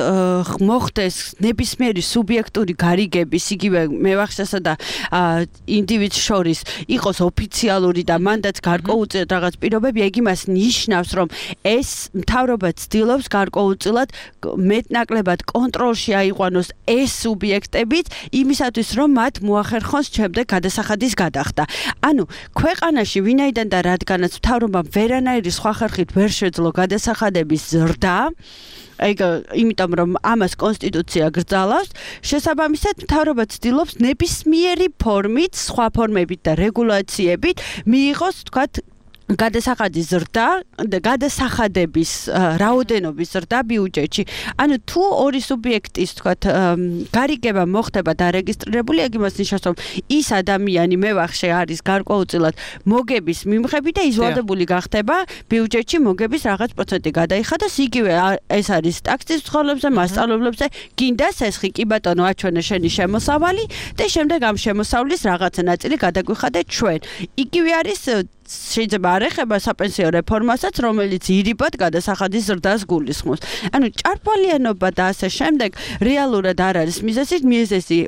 მოხდეს ნებისმიერი სუბიექტური გარიგების იგივე მევახშესა და ინდივიდს შორის იყოს ოფიციალური და მანდაც გარკვეულწილად რაღაც პირობები, ეგ იმას ნიშნავს, რომ ეს მთავრობა ცდილობს გარკვეულწილად მეტნაკლებად კონტროლში აიყვანოს ეს სუბიექტებიც იმისათვის, რომ მათ მოახერხოს შემდეგ გადასახადის გადახდა. ანუ ქვეყანაში ვინაიდან და რადგანაც მთავრობამ ვერანაირი სხვა ხერხით ვერ შეძლო გადასახადების ზრდა ეგ იმიტომ რომ ამას კონსტიტუცია გრძალავს, შესაბამისად მთავრობა ცდილობს ნებისმიერი ფორმით, სხვა ფორმებით და რეგულაციებით მიიღოს, თქვათ, გადასახადის ზრდა და გადასახადების რაოდენობის ზრდა ბიუჯეტში. ანუ თუ ორი სუბიექტის, თქვათ, გარიგება მოხდება დარეგისტრირებული, ეგ იმას ნიშნავს, რომ ის ადამიანი მევახშე არის გარკვეულწილად მოგების მიმღები და იზოლირებული გახდება ბიუჯეტში მოგების რაღაც პროცენტი გადაიხადოს. იგივე ეს არის ტაქსის ცხოვრებზე, მასწავლებლებზე, გინდა სესხი კი ბატონო აჩვენე შენი შემოსავალი და შემდეგ ამ შემოსავლის რაღაცა ნაწილი გადაგვიხადე ჩვენ. იგივე არის შეიძლება არ ეხება საპენსიო რეფორმასაც, რომელიც ირიბად გადასახადის ზრდას გულისხმობს. ანუ ჭარბვალიანობა და ასე შემდეგ რეალურად არ არის მიზეზი, მიზეზი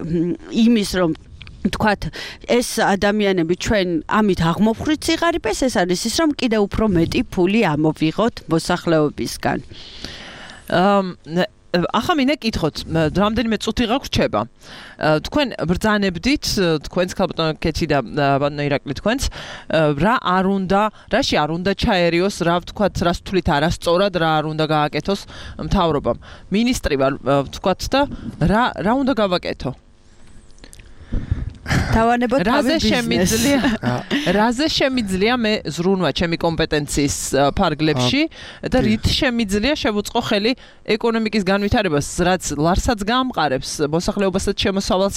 იმის რომ თქვათ ეს ადამიანები ჩვენ ამით აღმოფხრით სიღარიბეს, ეს არის ის რომ კიდევ უფრო მეტი ფული ამოვიღოთ მოსახლეობისგან. ახლა მინდა გითხოთ, რამდენიმე წუთი გაგვრჩება. თქვენ ბრძანებდით, თქვენს ქალბატონკეთი და ბატონო ირაკლი თქვენს, რა არ უნდა, რაში არ უნდა ჩაერიოს, რა ვთქვათ, რას თვლით არასწორად, რა არ უნდა გააკეთოს მთავრობამ. მინისტრი ვარ, ვთქვათ და რა რა უნდა გავაკეთო? თავანებოთ რაზე შემიძლია რაზე შემიძლია მე ზრუნვა ჩემი კომპეტენციის ფარგლებში და რით შემიძლია შევუწყო ხელი ეკონომიკის განვითარებას, რაც ლარსაც გაამყარებს, მოსახლეობასაც შემოსავალს.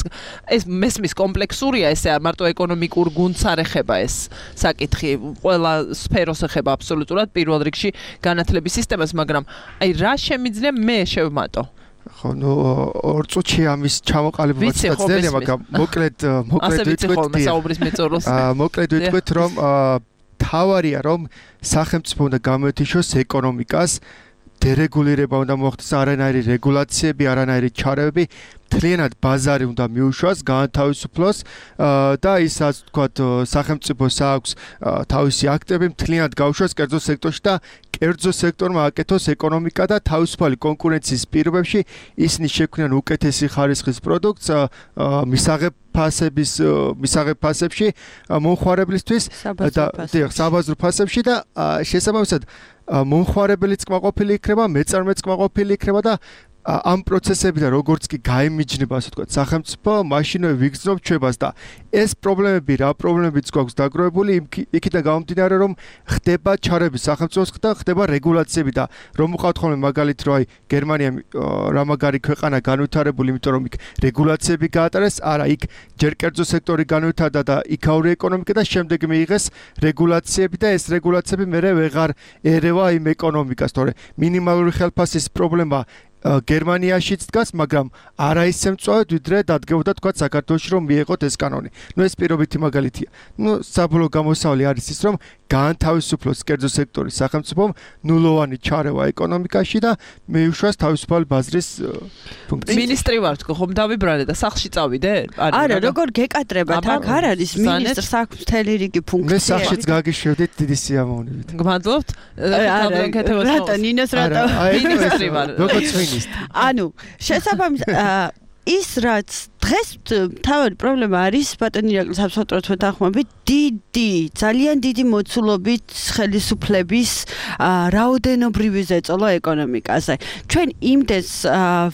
ეს მესმის კომპლექსურია, ესე არ მარტო ეკონომიკურ გუნდს არ ეხება ეს საკითხი, ყველა სფეროს ეხება აბსოლუტურად, პირველ რიგში განათლების სისტემას, მაგრამ აი რა შემიძლია მე შევმატო? ხო, ნუ ორ წუთში ამის ჩამოყალიბება ძნელია, მაგრამ მოკლედ მოკლედ ვიტყვით, აა მოკლედ ვიტყვით, რომ თავარია, რომ სახელმწიფო უნდა გამოეთიშოს ეკონომიკას, დერეგულირება უნდა მოხდეს, არანაირი რეგულაციები, არანაირი ჩარევები, მთლიანად ბაზარი უნდა მიუშვას, გაანთავისუფლოს და ისაც ვთქვათ, სახელმწიფოს აქვს თავისი აქტები, მთლიანად გაუშვას კერძო სექტორში და კერძო სექტორმა აკეთოს ეკონომიკა და თავისუფალი კონკურენციის პირობებში ისინი შექმნიან უკეთესი ხარისხის პროდუქტს მისაღებ ფასების მისაღებ ფასებში მომხმარებლისთვის და საბაზრო ფასებში და შესაბამისად მომხმარებელიც კმაყოფილი იქნება, მეწარმეც კმაყოფილი იქნება და ამ პროცესებიდან როგორც კი გაიმიჯნება, ასე ვთქვათ, სახელმწიფო, მაშინვე ვიგრძნობ ჩვებას და ეს პრობლემები, რა პრობლემებიც გვაქვს დაგროვებული, იქიდან გამომდინარე, რომ ხდება ჩარევები სახელმწიფოს და ხდება რეგულაციები და რომ ვუყავთ ხოლმე მაგალითად, რომ აი გერმანია რა მაგარი ქვეყანა განვითარებული, იმიტომ რომ იქ რეგულაციები გაატარეს, არა, იქ ჯერ კერძო სექტორი განვითარდა და იქაური ეკონომიკა და შემდეგ მიიღეს რეგულაციები და ეს რეგულაციები მერე ვეღარ ერევა იმ ეკონომიკას, თორე მინიმალური ხელფასის პრობლემა გერმანიაშიც დგას, მაგრამ არა ისე მწვავედ, ვიდრე დადგებოდა თქვა საქართველოში რომ მიეღოთ ეს კანონი. ნუ ეს პირობითი მაგალითია. ნუ საბოლოო გამოსავალი არის ის, რომ გაანთავისუფლოს კერძო სექტორი სახელმწიფომ, ნულოვანი ჩარევა ეკონომიკაში და მიუშვას თავისუფალი ბაზრის ფუნქცია. მინისტრი ვარ თქო, ხომ დავიბრალე და სახლში წავიდე? არა, როგორ გეკატრებათ, აქ არ არის მინისტრს აქვს მთელი რიგი ფუნქციები. მე სახლშიც გაგიშვებდით დიდი სიამოვნებით. გმადლობთ. რატო ნინოს რატო მინისტრი ვარ. როგორც ანუ შესაბამისად ის რაც დღეს თავი პრობლემა არის ბატონი ირაკლის აბსოლუტურად ვეთანხმებით, დიდი, ძალიან დიდი მოცულობით ხელისუფლების რაოდენობრივი ზეწოლა ეკონომიკაზე. ჩვენ იმდენს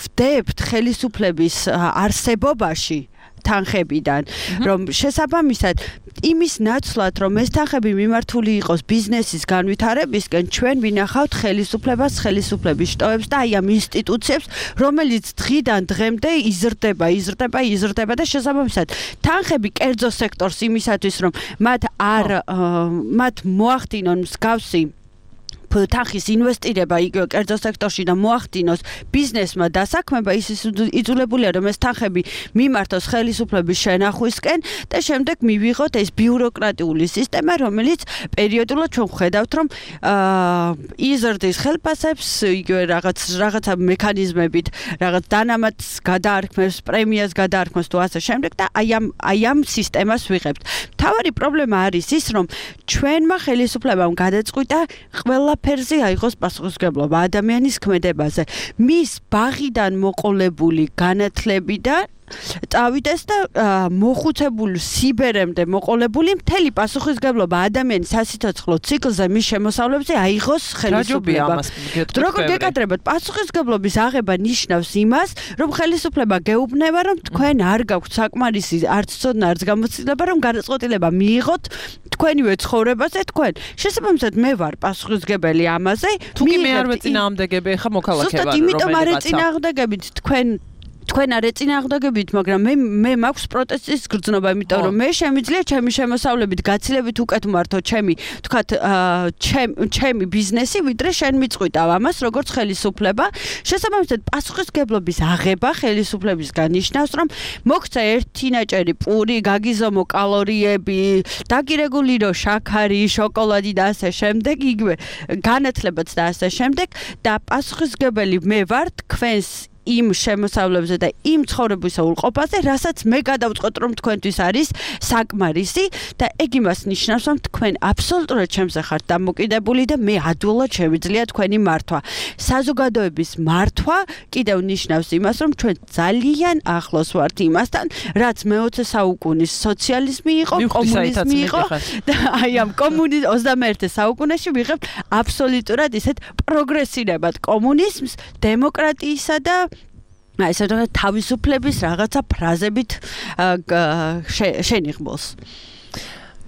ვდებთ ხელისუფლების არსებობაში თანხებიდან, რომ შესაბამისად იმის ნაცვლად, რომ ეს თანხები მიმართული იყოს ბიზნესის განვითარებისკენ, ჩვენ ვინახავთ ხელისუფლებას, ხელისუფლების შტოებს და აი ამ ინსტიტუციებს, რომელიც დღიდან დღემდე იზრდება, იზრდება, იზრდება და შესაბამისად თანხები კერძო სექტორს იმისათვის, რომ მათ არ მათ მოახდინონ მსგავსი თანხის ინვესტირება იგივე კერძო სექტორში და მოახდინოს ბიზნესმა დასაქმება, ის იძულებულია, რომ ეს თანხები მიმართოს ხელისუფლების შენახვისკენ და შემდეგ მივიღოთ ეს ბიუროკრატიული სისტემა, რომელიც პერიოდულად ჩვენ ვხედავთ, რომ იზრდის ხელფასებს, იგივე რაღაც რაღაცა მექანიზმებით, რაღაც დანამატს გადაარქმევს, პრემიას გადაარქმევს თუ ასე შემდეგ და აი ამ აი ამ სისტემას ვიღებთ. მთავარი პრობლემა არის ის, რომ ჩვენმა ხელისუფლებამ გადაწყვიტა ყველა ფერზე აიღოს პასუხისმგებლობა ადამიანის ქმედებაზე. მის ბაღიდან მოყოლებული განათლებიდან წავიდეს და მოხუცებული სიბერემდე მოყოლებული მთელი პასუხისმგებლობა ადამიანის სასიცოცხლო ციკლზე მის შემოსავლებზე აიღოს ხელისუფლება. როგორ გეკადრებათ, პასუხისმგებლობის აღება ნიშნავს იმას, რომ ხელისუფლება გეუბნება, რომ თქვენ არ გაქვთ საკმარისი არც ცოდნა, არც გამოცდილება, რომ გადაწყვეტილება მიიღოთ თქვენივე ცხოვრებაზე თქვენ. შესაბამისად მე ვარ პასუხისმგებელი ამაზე. თუ კი მე არ ვეწინააღმდეგები, ხა მოქალაქე ვარ, რომელიც იმიტომ არ ეწინააღმდეგებით თქვენ თქვენ არ ეწინააღმდეგებით, მაგრამ მე მე მაქვს პროტესტის გრძნობა, იმიტომ რომ მე შემიძლია ჩემი შემოსავლებით გაცილებით უკეთ მართო ჩემი, თქვათ, ჩემი ბიზნესი, ვიდრე შენ მიწყვიტავ ამას, როგორც ხელისუფლება. შესაბამისად, პასუხისმგებლობის აღება ხელისუფლებისგან ნიშნავს, რომ მოგცა ერთი ნაჭერი პური, გაგიზომო კალორიები, დაგირეგულირო შაქარი, შოკოლადი და ასე შემდეგ, იგივე განათლებაც და ასე შემდეგ და პასუხისმგებელი მე ვარ თქვენს იმ შემოსავლებზე და იმ ცხოვრების უყופაზე, რასაც მე გადავწყვეტ, რომ თქვენთვის არის საკმარისი და ეგ იმას ნიშნავს, რომ თქვენ აბსოლუტურად ჩემზე ხართ დამოკიდებული და მე ადვილად შევიძლია თქვენი მართვა. საზოგადოების მართვა კიდევ ნიშნავს იმას, რომ ჩვენ ძალიან ახლოს ვართ იმასთან, რაც მეოცე საუკუნის სოციალიზმი იყო, კომუნიზმი იყო და აი ამ კომუნიზმ ოცდამეერთე საუკუნეში ვიღებთ აბსოლუტურად ისეთ პროგრესირებად კომუნიზმს, დემოკრატიისა და აი ესე რომ თავისუფლების რაღაცა ფრაზებით შენიღბულს.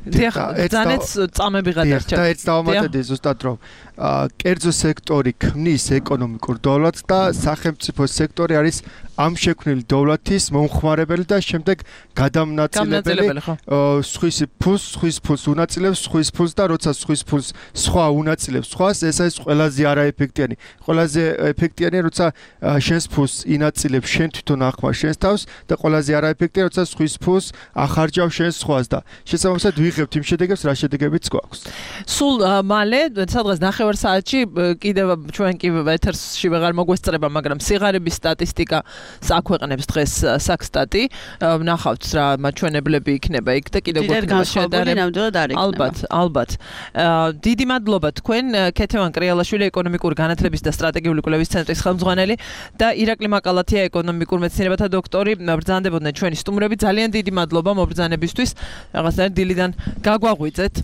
დიახ, ძანეც წამები გადარჩა. და ერთ დავამატებდი ზუსტად რომ კერძო სექტორი ქმნის ეკონომიკურ დოვლათს და სახელმწიფო სექტორი არის ამ შექმნილი დოვლათის მომხმარებელი და შემდეგ გადამნაწილებელი. სხვის ფულს, სხვის ფულს უნაწილებს, სხვის ფულს და როცა სხვის ფულს სხვა უნაწილებს სხვას, ეს არის ყველაზე არაეფექტიანი. ყველაზე ეფექტიანია, როცა შენს ფულს ინაწილებს შენ თვითონ ახმარ შენს თავს და ყველაზე არაეფექტიანია, როცა სხვის ფულს ახარჯავ შენ სხვას და შესაბამისად ვიღებთ იმ შედეგებს, რა შედეგებიც გვაქვს. სულ მალე, სადღაც ნახევარ საათში კიდევ ჩვენ კი ეთერში ვეღარ მოგვესწრება, მაგრამ სიღარიბის სტატისტიკა საქვეყნებს დღეს საქსტატი, ნახავთ რა მაჩვენებლები იქნება იქ და კიდევ გვექნება შედარება. ალბათ, ალბათ. დიდი მადლობა თქვენ, ქეთევან კრიალაშვილი, ეკონომიკური განათლების და სტრატეგიული კვლევის ცენტრის ხელმძღვანელი და ირაკლი მაკალათია, ეკონომიკურ მეცნიერებათა დოქტორი. ბრძანდებოდნენ ჩვენი სტუმრები. ძალიან დიდი მადლობა მობრძანებისთვის. რაღაცნაირად დილიდან გაგვაღვიძეთ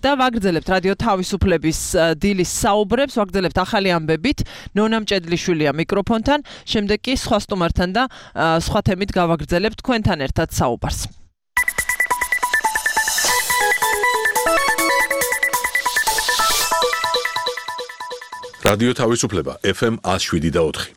და ვაგრძელებთ რადიო თავისუფლების დილის საუბრებს, ვაგრძელებთ ახალი ამბებით. ნონა მჭედლიშვილია მიკროფონთან, შემდეგ კი სხვა სტუმართან და სხვა თემით გავაგრძელებთ თქვენთან ერთად საუბარს. რადიო თავისუფლება ეფ ემ one oh seven და four.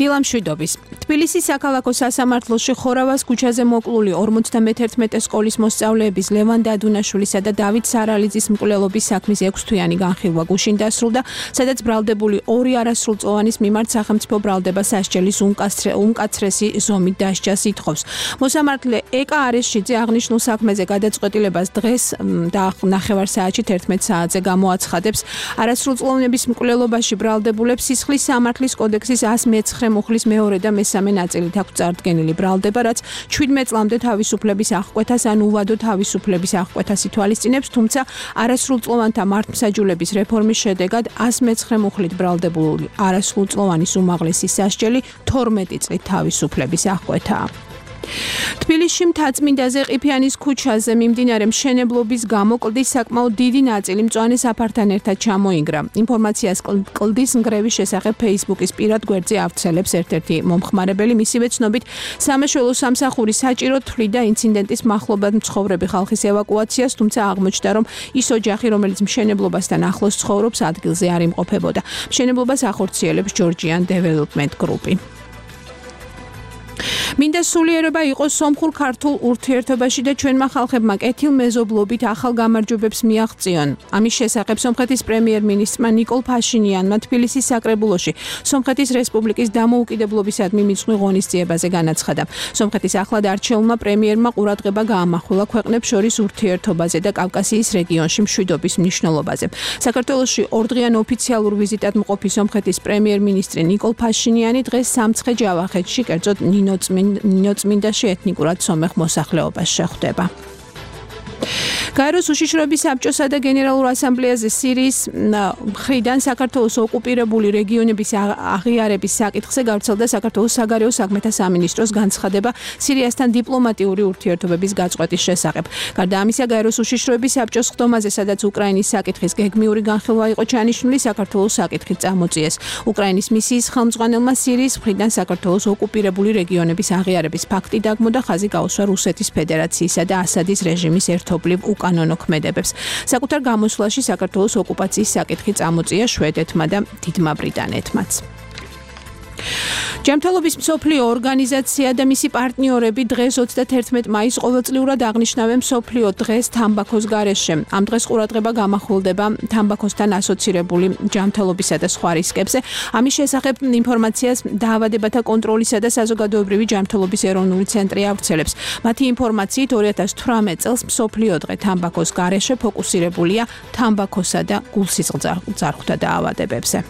დილამშვიდობის. თბილისის საქალაქო სასამართლოში ხორავას ქუჩაზე მოკლული ორმოცდამეთერთმეტე სკოლის მოსწავლეების ლევან დადუნაშვილისა და დავით სარალიძის მკვლელობის საქმის ექვსთვიანი განხილვა გუშინ დასრულდა, სადაც ბრალდებული ორი არასრულწლოვანის მიმართ სახელმწიფო ბრალდება სასჯელის უმკაცრესი ზომით დასჯას ითხოვს. მოსამართლე ეკა არეშიძე აღნიშნულ საქმეზე გადაწყვეტილებას დღეს და ნახევარ საათში თერთმეტ საათზე გამოაცხადებს. არასრულწლოვნების მკვლელობაში ბრალდებულებს სისხლის სამართლის კოდექსის one oh nine მუხლის მეორე და მესამე ნაწილით აქვს წარდგენილი ბრალდება, რაც შვიდმეტ წლამდე თავისუფლების აღკვეთას ან უვადო თავისუფლების აღკვეთას ითვალისწინებს, თუმცა არასრულწლოვანთა მართლმსაჯულების რეფორმის შედეგად one oh nine მუხლით ბრალდებული არასრულწლოვანის უმაღლესი სასჯელი თორმეტი წლით თავისუფლების აღკვეთაა. თბილისში მთაწმინდაზე ყიფიანის ქუჩაზე მიმდინარე მშენებლობის გამო კლდის საკმაოდ დიდი ნაწილი მწვანე საფართან ერთად ჩამოინგრა. ინფორმაციას კლდის ნგრევის შესახებ Facebook-ის პირად გვერდზე ავრცელებს ერთ-ერთი მომხმარებელი. მისივე ცნობით, სამაშველო სამსახური საჭიროდ თვლიდა ინციდენტის მახლობლად მცხოვრები ხალხის ევაკუაციას, თუმცა აღმოჩნდა, რომ ის ოჯახი, რომელიც მშენებლობასთან ახლოს ცხოვრობს, ადგილზე არ იმყოფებოდა. მშენებლობას ახორციელებს Georgian Development Group-ი. მინდა სულიერება იყოს სომხურ-ქართულ ურთიერთობაში და ჩვენმა ხალხებმა კეთილმეზობლობით ახალ გამარჯვებებს მიაღწიონ. ამის შესახებ სომხეთის პრემიერ-მინისტრმა ნიკოლ ფაშინიანმა თბილისის საკრებულოში სომხეთის რესპუბლიკის დამოუკიდებლობისადმი მიწვევ ღონისძიებაზე განაცხადა. სომხეთის ახლად არჩეულმა პრემიერმა ყურადღება გაამახვილა ქვეყნებს შორის ურთიერთობაზე და კავკასიის რეგიონში მშვიდობის მნიშვნელობაზე. საქართველოში ორდღიან ოფიციალურ ვიზიტად მყოფი სომხეთის პრემიერ-მინისტრი ნიკოლ ფაშინიანი დღეს სამცხე-ჯავახეთში, კერძოდ ნინოწმინდაში ეთნიკურად სომეხ მოსახლეობას შეხვდება. გაეროს უშიშროების საბჭოსა და გენერალურ ასამბლეაზე სირიის მხრიდან საქართველოს ოკუპირებული რეგიონების აღიარების საკითხზე გავრცელდა საქართველოს საგარეო საქმეთა სამინისტროს განცხადება სირიასთან დიპლომატიური ურთიერთობების გაწყვეტის შესახებ. გარდა ამისა, გაეროს უშიშროების საბჭოს ხდომაზე, სადაც უკრაინის საკითხის გეგმიური განხილვა იყო ჩანიშნული, საქართველოს საკითხით წამოწიეს. უკრაინის მისიის ხელმძღვანელმა სირიის მხრიდან საქართველოს ოკუპირებული რეგიონების აღიარების ფაქტი დაგმო და ხაზი გაუსვა რუსეთის ფედერაციისა და ასადის რეჟიმის ერთობლივ უკანონო ქმედებებს. საკუთარ გამოსვლაში საქართველოს ოკუპაციის საკითხი წამოწია შვედეთმა და დიდმა ბრიტანეთმაც. ჯანმრთელობის მსოფლიო ორგანიზაცია და მისი პარტნიორები დღეს ოცდათერთმეტ მაისს ყოველწლიურად აღნიშნავენ მსოფლიო დღეს თამბაქოს გარეშე. ამ დღეს ყურადღება გამახვილდება თამბაქოსთან ასოცირებული ჯანმრთელობისა და სხვა რისკებზე. ამის შესახებ ინფორმაციას დაავადებათა კონტროლისა და საზოგადოებრივი ჯანმრთელობის ეროვნული ცენტრი ავრცელებს. მათი ინფორმაციით ორი ათას თვრამეტ წელს მსოფლიო დღე თამბაქოს გარეშე ფოკუსირებულია თამბაქოსა და გულსისხლძარღვთა დაავადებებზე.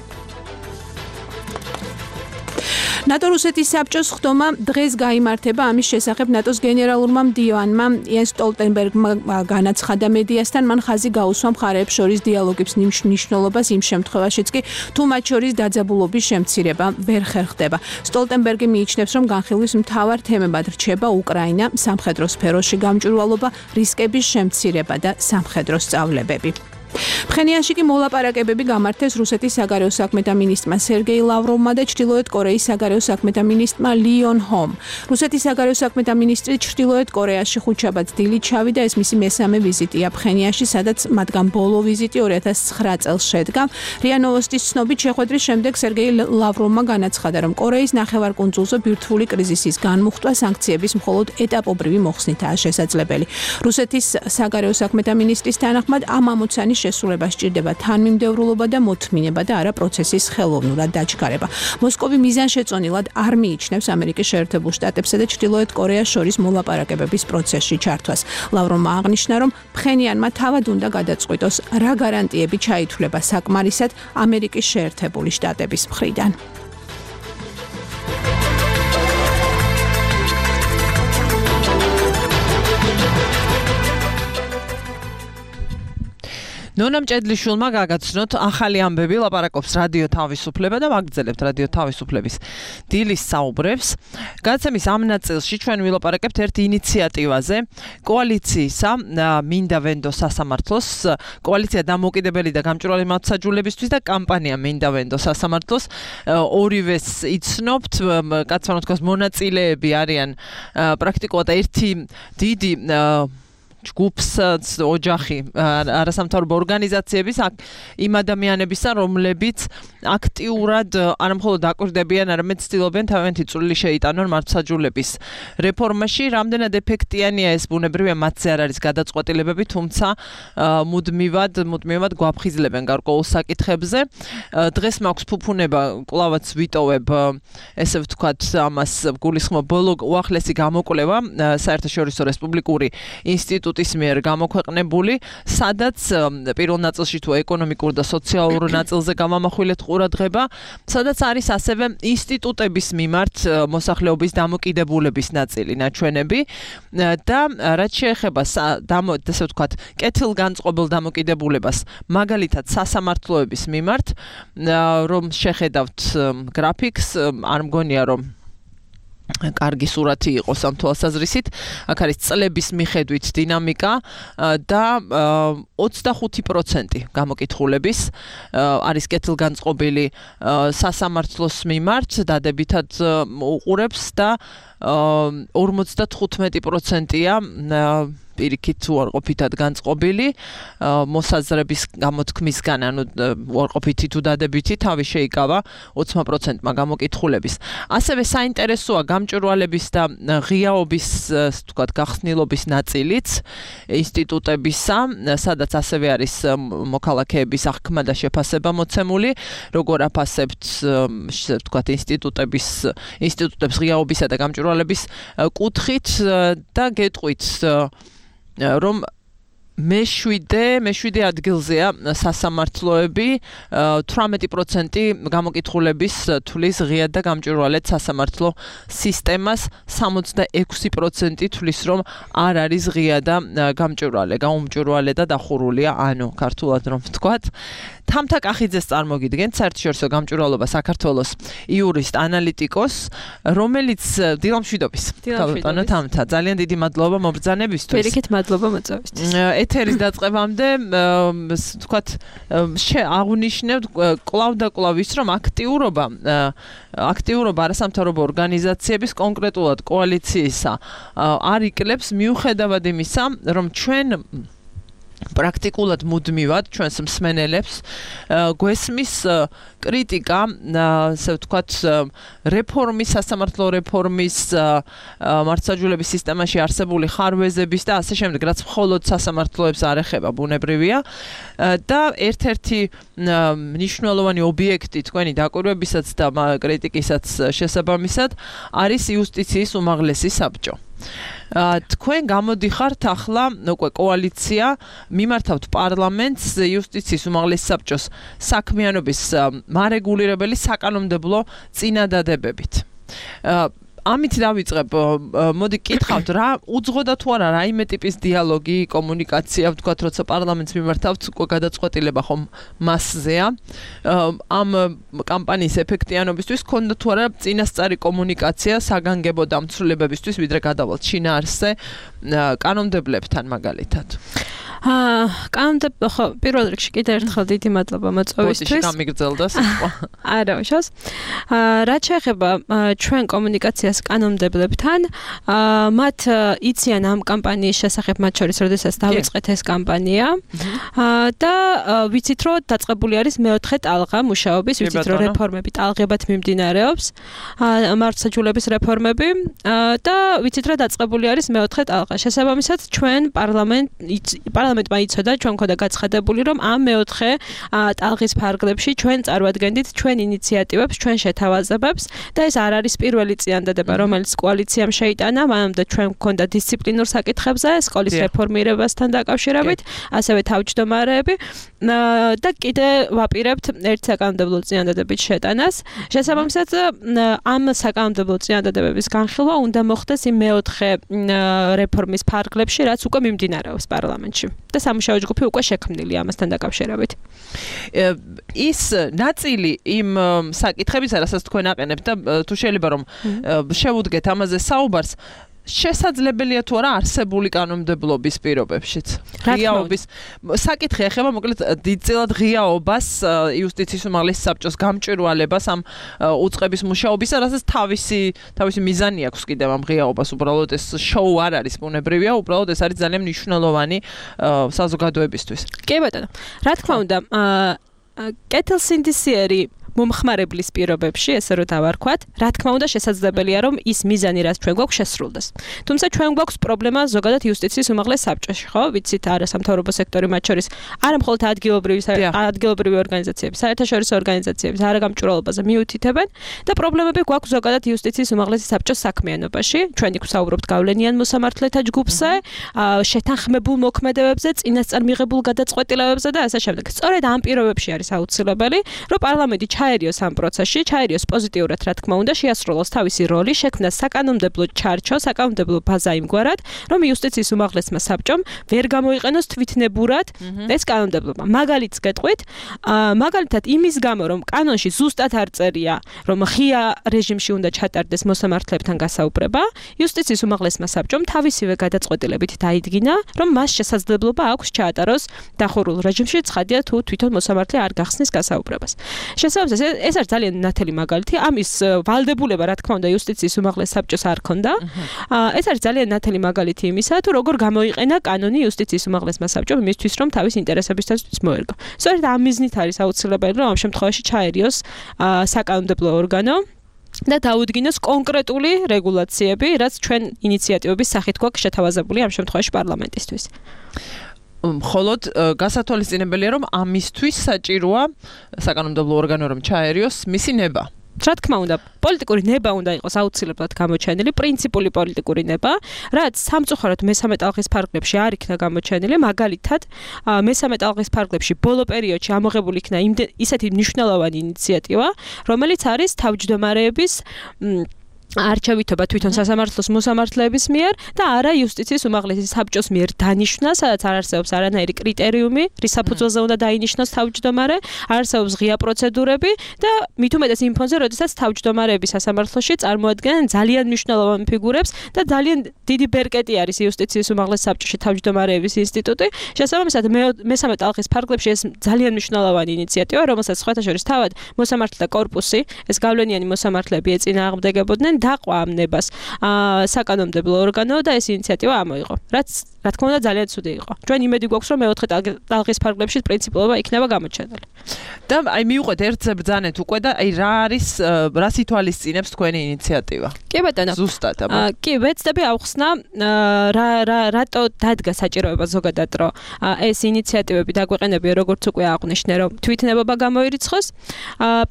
ნატო-რუსეთის საბჭოს ხდომა დღეს გაიმართება. ამის შესახებ ნატოს გენერალურმა მდივანმა იენს სტოლტენბერგმა განაცხადა მედიასთან, მან ხაზი გაუსვა მხარეებს შორის დიალოგის მნიშვნელობას იმ შემთხვევაშიც კი, თუ მათ შორის დაძაბულობის შემცირება ვერ ხერხდება. სტოლტენბერგი მიიჩნევს, რომ განხილვის მთავარ თემებად რჩება უკრაინა, სამხედრო სფეროში გამჭვირვალობა, რისკების შემცირება და სამხედრო სწავლებები. ფხენიანში კი მოლაპარაკებები გამართეს რუსეთის საგარეო საქმეთა მინისტრმა სერგეი ლავროვმა და ჩრდილოეთ კორეის საგარეო საქმეთა მინისტრმა ლიონ ჰომ. რუსეთის საგარეო საქმეთა მინისტრი ჩრდილოეთ კორეაში ხუთშაბათს დილით ჩავიდა, ეს მისი მესამე ვიზიტია ფხენიანში, სადაც მათგან ბოლო ვიზიტი ორი ათას ცხრა წელს შედგა. რია ნოვოსტის ცნობით შეხვედრის შემდეგ სერგეი ლავროვმა განაცხადა, რომ კორეის ნახევარკუნძულზე ბირთვული კრიზისის განმუხტვა სანქციების მხოლოდ ეტაპობრივი მოხსნითაა შესაძლებელი. რუსეთის საგარეო საქმეთა მინისტრის თანახმად ამ ამოცანის შესრულება სჭირდება თანმიმდევრულობა და მოთმინება და არა პროცესის ხელოვნურად დაჩქარება. მოსკოვი მიზანშეწონილად არ მიიჩნევს ამერიკის შეერთებულ შტატებსა და ჩრდილოეთ კორეას შორის მოლაპარაკებების პროცესში ჩართვას. ლავროვმა აღნიშნა, რომ ფხენიანმა თავად უნდა გადაწყვიტოს, რა გარანტიები ჩაითვლება საკმარისად ამერიკის შეერთებული შტატების მხრიდან. ნონა მჭედლიშვილმა გაგაცნოთ ახალი ამბები, ლაპარაკობს რადიო თავისუფლება და ვაგრძელებთ რადიო თავისუფლების დილის საუბრებს. გადაცემის ამ ნაწილში ჩვენ ვილაპარაკებთ ერთ ინიციატივაზე, კოალიციისა მინდა ვენდო სასამართლოს, კოალიცია დამოუკიდებელი და გამჭვირვალე მართლმსაჯულებისთვის და კამპანია მინდა ვენდო სასამართლოს. ორივეს იცნობთ, კაცმა თქოს მონაწილეები არიან პრაქტიკულად ერთი დიდი ჯგუფს ოჯახი არასამთავრობო ორგანიზაციების იმ ადამიანებისა, რომლებიც აქტიურად არა მხოლოდ დაკვირდებიან, არამედ ცდილობენ თავიანთი წვლილი შეიტანონ მართლმსაჯულების რეფორმაში. რამდენად ეფექტიანია ეს, ბუნებრივია მათზე არ არის გადაწყვეტილებები, თუმცა მუდმივად, მუდმივად გვაფხიზლებენ გარკვეულ საკითხებზე. დღეს მაქვს ფუფუნება, კვლავაც ვიტოვებ, ესე ვთქვათ, ამას გულისხმობ ბოლო უახლესი გამოკვლევა საერთაშორისო რესპუბლიკური ინსტიტუტის ის მიერ გამოქვეყნებული, სადაც პირველ ნაწილში თუ ეკონომიკურ და სოციალურ ნაწილზე გამამახვილეთ ყურადღება, სადაც არის ასევე ინსტიტუტების მიმართ მოსახლეობის დამოკიდებულების ნაწილი, ნაჩვენები და რაც შეეხება ესე ვთქვათ, კეთილგანწყობილ დამოკიდებულებას, მაგალითად სასამართლოების მიმართ, რომ შეხედავთ გრაფიკს, არ მგონია რომ კარგი სურათი იყოს ამ თვალსაზრისით. აქ არის წლების მიხედვით დინამიკა და ოცდახუთი პროცენტი გამოკითხულების არის კეთილგანწყობილი სასამართლოს მიმართ, დადებითად უყურებს და ორმოცდათხუთმეტი პროცენტია პირიქით უარყოფითად განწყობილი მოსაზრების გამოთქმისგან, ანუ უარყოფითი თუ დადებითი თავი შეიკავა ოცდაოთხ პროცენტმა გამოკითხულების. ასევე საინტერესოა გამჭვირვალების და ღიაობის, თქვათ, გახსნილობის ნაწილიც ინსტიტუტებისა, სადაც ასევე არის მოქალაქეების აღქმა და შეფასება მოცემული, როგორ აფასებთ, თქვათ, ინსტიტუტების ინსტიტუტებს ღიაობისა და გამჭვირვალების კუთხით და გეტყვით რომ მეშვიდე მეშვიდე ადგილზეა სასამართლოები, თვრამეტი პროცენტი გამოკითხულების თვლის ღიად და გამჭვირვალედ სასამართლო სისტემას, სამოცდაექვსი პროცენტი თვლის რომ არ არის ღია და გამჭვირვალე, გაუმჭვირვალე და დახურულია, ანუ ქართულად რომ ვთქვათ. თამთა კახიძეს წარმოგიდგენთ, საერთაშორისო გამჭვირვალობა საქართველოს იურისტ ანალიტიკოს, რომელიც დილამშვიდობის. დილამშვიდობის. თამთა, ძალიან დიდი მადლობა მობრძანებისთვის. პირიქით მადლობა მოწვევისთვის. ეთერის დაწყებამდე, ვთქვათ, აღნიშნებთ კვლავ და კვლავ ის, რომ აქტიურობა, აქტიურობა არასამთავრობო ორგანიზაციების, კონკრეტულად კოალიციისა არ იკლებს, მიუხედავად იმისა, რომ ჩვენ პრაქტიკულად მუდმივად ჩვენს მსმენელებს გვესმის კრიტიკა, ასე ვთქვათ, რეფორმის, სასამართლო რეფორმის, მართლმსაჯულების სისტემაში არსებული ხარვეზების და ასე შემდეგ, რაც მხოლოდ სასამართლოებს არ ეხება, ბუნებრივია. და ერთ-ერთი მნიშვნელოვანი ობიექტი თქვენი დაკვირვებისაც და კრიტიკისაც შესაბამისად არის იუსტიციის უმაღლესი საბჭო. თქვენ გამოდიხართ ახლა უკვე კოალიცია, მიმართავთ პარლამენტს იუსტიციის უმაღლეს საბჭოს საქმიანობის მარეგულირებელი საკანონმდებლო წინადადებებით. ამით დავიწყებ, მოდი კითხავთ, რა უძღოდა თუ არა რაიმე ტიპის დიალოგი, კომუნიკაცია, ვთქვათ, როცა პარლამენტს მიმართავთ, უკვე გადაწყვეტილება ხომ მასზეა. ამ კამპანიის ეფექტიანობისთვის ქონდა თუ არა წინასწარი კომუნიკაცია საგანგებო დამცველებებისთვის, ვიდრე გადავალთ შინაარსზე კანონმდებლებთან მაგალითად. აა, კანონმდებლო ხო, პირველ რიგში კიდევ ერთხელ დიდი მადლობა მოწვევისთვის. ბოდიში გამიგრძელდა სიტყვა. არა, უშავს. აა, რაც შეეხება ჩვენ კომუნიკაციას კანონმდებლებთან, აა, მათ იციან ამ კამპანიის შესახებ, მათ შორის, როდესაც დავიწყეთ ეს კამპანია. აა, და ვიცით, რომ დაწყებული არის მეოთხე ტალღა მუშაობის, ვიცით, რომ რეფორმები ტალღებად მიმდინარეობს. აა, მართლმსაჯულების რეფორმები და ვიცით, რომ დაწყებული არის მეოთხე ტალღა. შესაბამისად, ჩვენ პარლამენტ პარლამენტმა იცოდა, ჩვენ მქონდა გაცხადებული, რომ ამ მეოთხე ტალღის ფარგლებში ჩვენ წარვადგენდით ჩვენ ინიციატივებს, ჩვენ შეთავაზებებს და ეს არ არის პირველი წინადადება, რომელიც კოალიციამ შეიტანა, მანამდე ჩვენ მქონდა დისციპლინურ საკითხებზე, სკოლის რეფორმირებასთან დაკავშირებით, ასევე თავმჯდომარეები და კიდე ვაპირებთ ერთ საკანონმდებლო წინადადებით შეტანას. შესაბამისად, ამ საკანონმდებლო წინადადებების განხილვა უნდა მოხდეს იმ მეოთხე რეფორმის ფარგლებში, რაც უკვე მიმდინარეობს პარლამენტში. და სამუშაო ჯგუფი უკვე შექმნილია ამასთან დაკავშირებით. ის ნაწილი იმ საკითხებისა, რასაც თქვენ აყენებთ და თუ შეიძლება რომ შევუდგეთ ამაზე საუბარს, შესაძლებელია თუ არა არსებული კანონმდებლობის პირობებშიც. ღიაობის საკითხი ეხება მოკლედ დიდწილად ღიაობას, იუსტიციის უმაღლეს საბჭოს გამჭვირვალებას ამ უწყების მუშაობისა, რასაც თავისი თავისი მიზანი აქვს კიდევ ამ ღიაობას, უბრალოდ ეს შოუ არ არის ბუნებრივია, უბრალოდ ეს არის ძალიან მნიშვნელოვანი საზოგადოებისთვის. კი ბატონო. რა თქმა უნდა, კეთილსინდისიერი მომხმარებლის პირობებში, ესე რომ დავარქვათ, რა თქმა უნდა შესაძლებელია, რომ ის მიზანი, რაც ჩვენ გვაქვს, შესრულდეს. თუმცა ჩვენ გვაქვს პრობლემა ზოგადად იუსტიციის უმაღლეს საბჭოში, ხო? ვიცით, არასამთავრობო სექტორი მათ შორის არა მხოლოდ ადგილობრივი ადგილობრივი ორგანიზაციები, საერთაშორისო ორგანიზაციები არაგამჭვირვალობაზე მიუთითებენ და პრობლემები გვაქვს ზოგადად იუსტიციის უმაღლესი საბჭოს საქმიანობაში. ჩვენ იქ ვსაუბრობთ გავლენიან მოსამართლეთა ჯგუფზე, შეთანხმებულ მოქმედებებზე, წინასწარ მიღებულ გადაწყვეტილებებზე და ასე შემდეგ. სწორედ ამ პირობებში არის აუცილებელი, რომ პარლამენტი ჩაერიოს ამ პროცესში, ჩაერიოს პოზიტიურად, რა თქმა უნდა, შეასრულოს თავისი როლი, შექმნას საკანონმდებლო ჩარჩო, საკანონმდებლო ბაზა იმგვარად, რომ იუსტიციის უმაღლესმა საბჭომ ვერ გამოიყენოს თვითნებურად ეს კანონმდებლობა. მაგალითს გეტყვით, მაგალითად იმის გამო, რომ კანონში ზუსტად არ წერია, რომ ღია რეჟიმში უნდა ჩატარდეს მოსამართლებთან გასაუბრება, იუსტიციის უმაღლესმა საბჭომ თავისივე გადაწყვეტილებით დაიდგინა, რომ მას შესაძლებლობა აქვს ჩაატაროს დახურულ რეჟიმში, ცხადია თუ თვითონ მოსამართლე არ გახსნის გასაუბრებას. შესაბამისად ეს არის ძალიან ნათელი მაგალითი. ამის ვალდებულება, რა თქმა უნდა, იუსტიციის უმაღლეს საბჭოს არ ქონდა. ეს არის ძალიან ნათელი მაგალითი იმისა, თუ როგორ გამოიყენა კანონი იუსტიციის უმაღლესმა საბჭომ იმისთვის, რომ თავის ინტერესებისათვის მოერგო. სწორედ ამ მიზნით არის აუცილებელი, რომ ამ შემთხვევაში ჩაერიოს საკანონმდებლო ორგანო და დაუდგინოს კონკრეტული რეგულაციები, რაც ჩვენ ინიციატივების სახით გვაქვს შეთავაზებული ამ შემთხვევაში პარლამენტისთვის. მხოლოდ გასათვალისწინებელია, რომ ამისთვის საჭიროა საკანონმდებლო ორგანო რომ ჩაერიოს მისი ნება. რა თქმა უნდა, პოლიტიკური ნება უნდა იყოს აუცილებლად გამოჩენილი, პრინციპული პოლიტიკური ნება, რაც სამწუხაროდ მესამე ტალღის ფარგლებში არ იქნა გამოჩენილი, მაგალითად, მესამე ტალღის ფარგლებში ბოლო პერიოდში ამოღებული იქნა ისეთი მნიშვნელოვანი ინიციატივა, რომელიც არის თავმჯდომარეების არჩევითობა თვითონ სასამართლოს მოსამართლეების მიერ და არა იუსტიციის უმაღლესი საბჭოს მიერ დანიშნა, სადაც არ არსებობს არანაირი კრიტერიუმი, რის საფუძველზე უნდა დაინიშნოს თავმჯდომარე, არ არსებობს ღია პროცედურები და მით უმეტეს იმ ფონზე, როდესაც თავმჯდომარეები სასამართლოში წარმოადგენენ ძალიან მნიშვნელოვან ფიგურებს და ძალიან დიდი ბერკეტი არის იუსტიციის უმაღლეს საბჭოში თავმჯდომარეების ინსტიტუტი. შესაბამისად, მესამე ტალღის ფარგლებში ეს ძალიან მნიშვნელოვანი ინიციატივა, რომელსაც სხვათა შორის თავად მოსამართლეთა კორპუსი, ეს გავლენიანი მოსამართლეები ეწინააღმდეგებოდნენ დაყვა ამ ნებას საკანონმდებლო ორგანო და ეს ინიციატივა ამოიღო. რაც რა თქმა უნდა ძალიან ცუდი იყო. ჩვენ იმედი გვაქვს რომ მეოთხე ტალღის ფარგლებში პრინციპულობა იქნება გამოჩენილი. და აი მივყვეთ ერთზე ბრძანეთ უკვე და აი რა არის რა სითვალისწინებს თქვენი ინიციატივა? კი ბატონო. ზუსტად აბა. კი ვეცდები ავხსნა რა რა რატო დადგა საჭიროება ზოგადად რომ ეს ინიციატივები დაგვეყენებია როგორც უკვე აღვნიშნე რომ თვითნებობა გამოირიცხოს.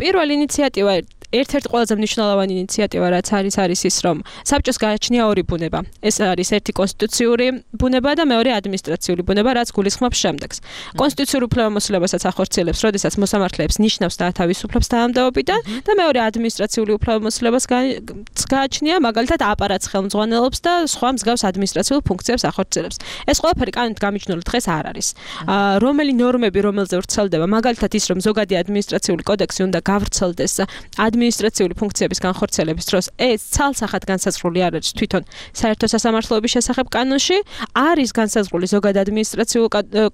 პირველი ინიციატივა ერთ-ერთი ყველაზე მნიშვნელოვანი ინიციატივა რაც არის არის ის რომ საბჭოს გააჩნია ორი ბუნება. ეს არის ერთი კონსტიტუციური ბუნება და მეორე ადმინისტრაციული ბუნება, რაც გულისხმობს შემდეგს. კონსტიტუციურ უფლებამოსილებასაც ახორციელებს, როდესაც მოსამართლეებს ნიშნავს დაათავისუფლებს თანამდებობიდან და მეორე ადმინისტრაციული უფლებამოსილებას გააჩნია, მაგალითად აპარატს ხელმძღვანელობს და სხვა მსგავს ადმინისტრაციულ ფუნქციებს ახორციელებს. ეს ყველაფერი კანონით გამიჯნული დღეს არ არის. რომელი ნორმები რომელზე ვრცელდება, მაგალითად ის რომ ზოგადი ადმინისტრაციული კოდექსი უნდა გავრცელდეს ადმინისტრაციული ფუნქციების განხორციელების დროს ეს ცალსახად განსაზღვრული არ არის თვითონ საერთო სასამართლოების შესახებ კანონში არის განსაზღვრული ზოგად ადმინისტრაციულ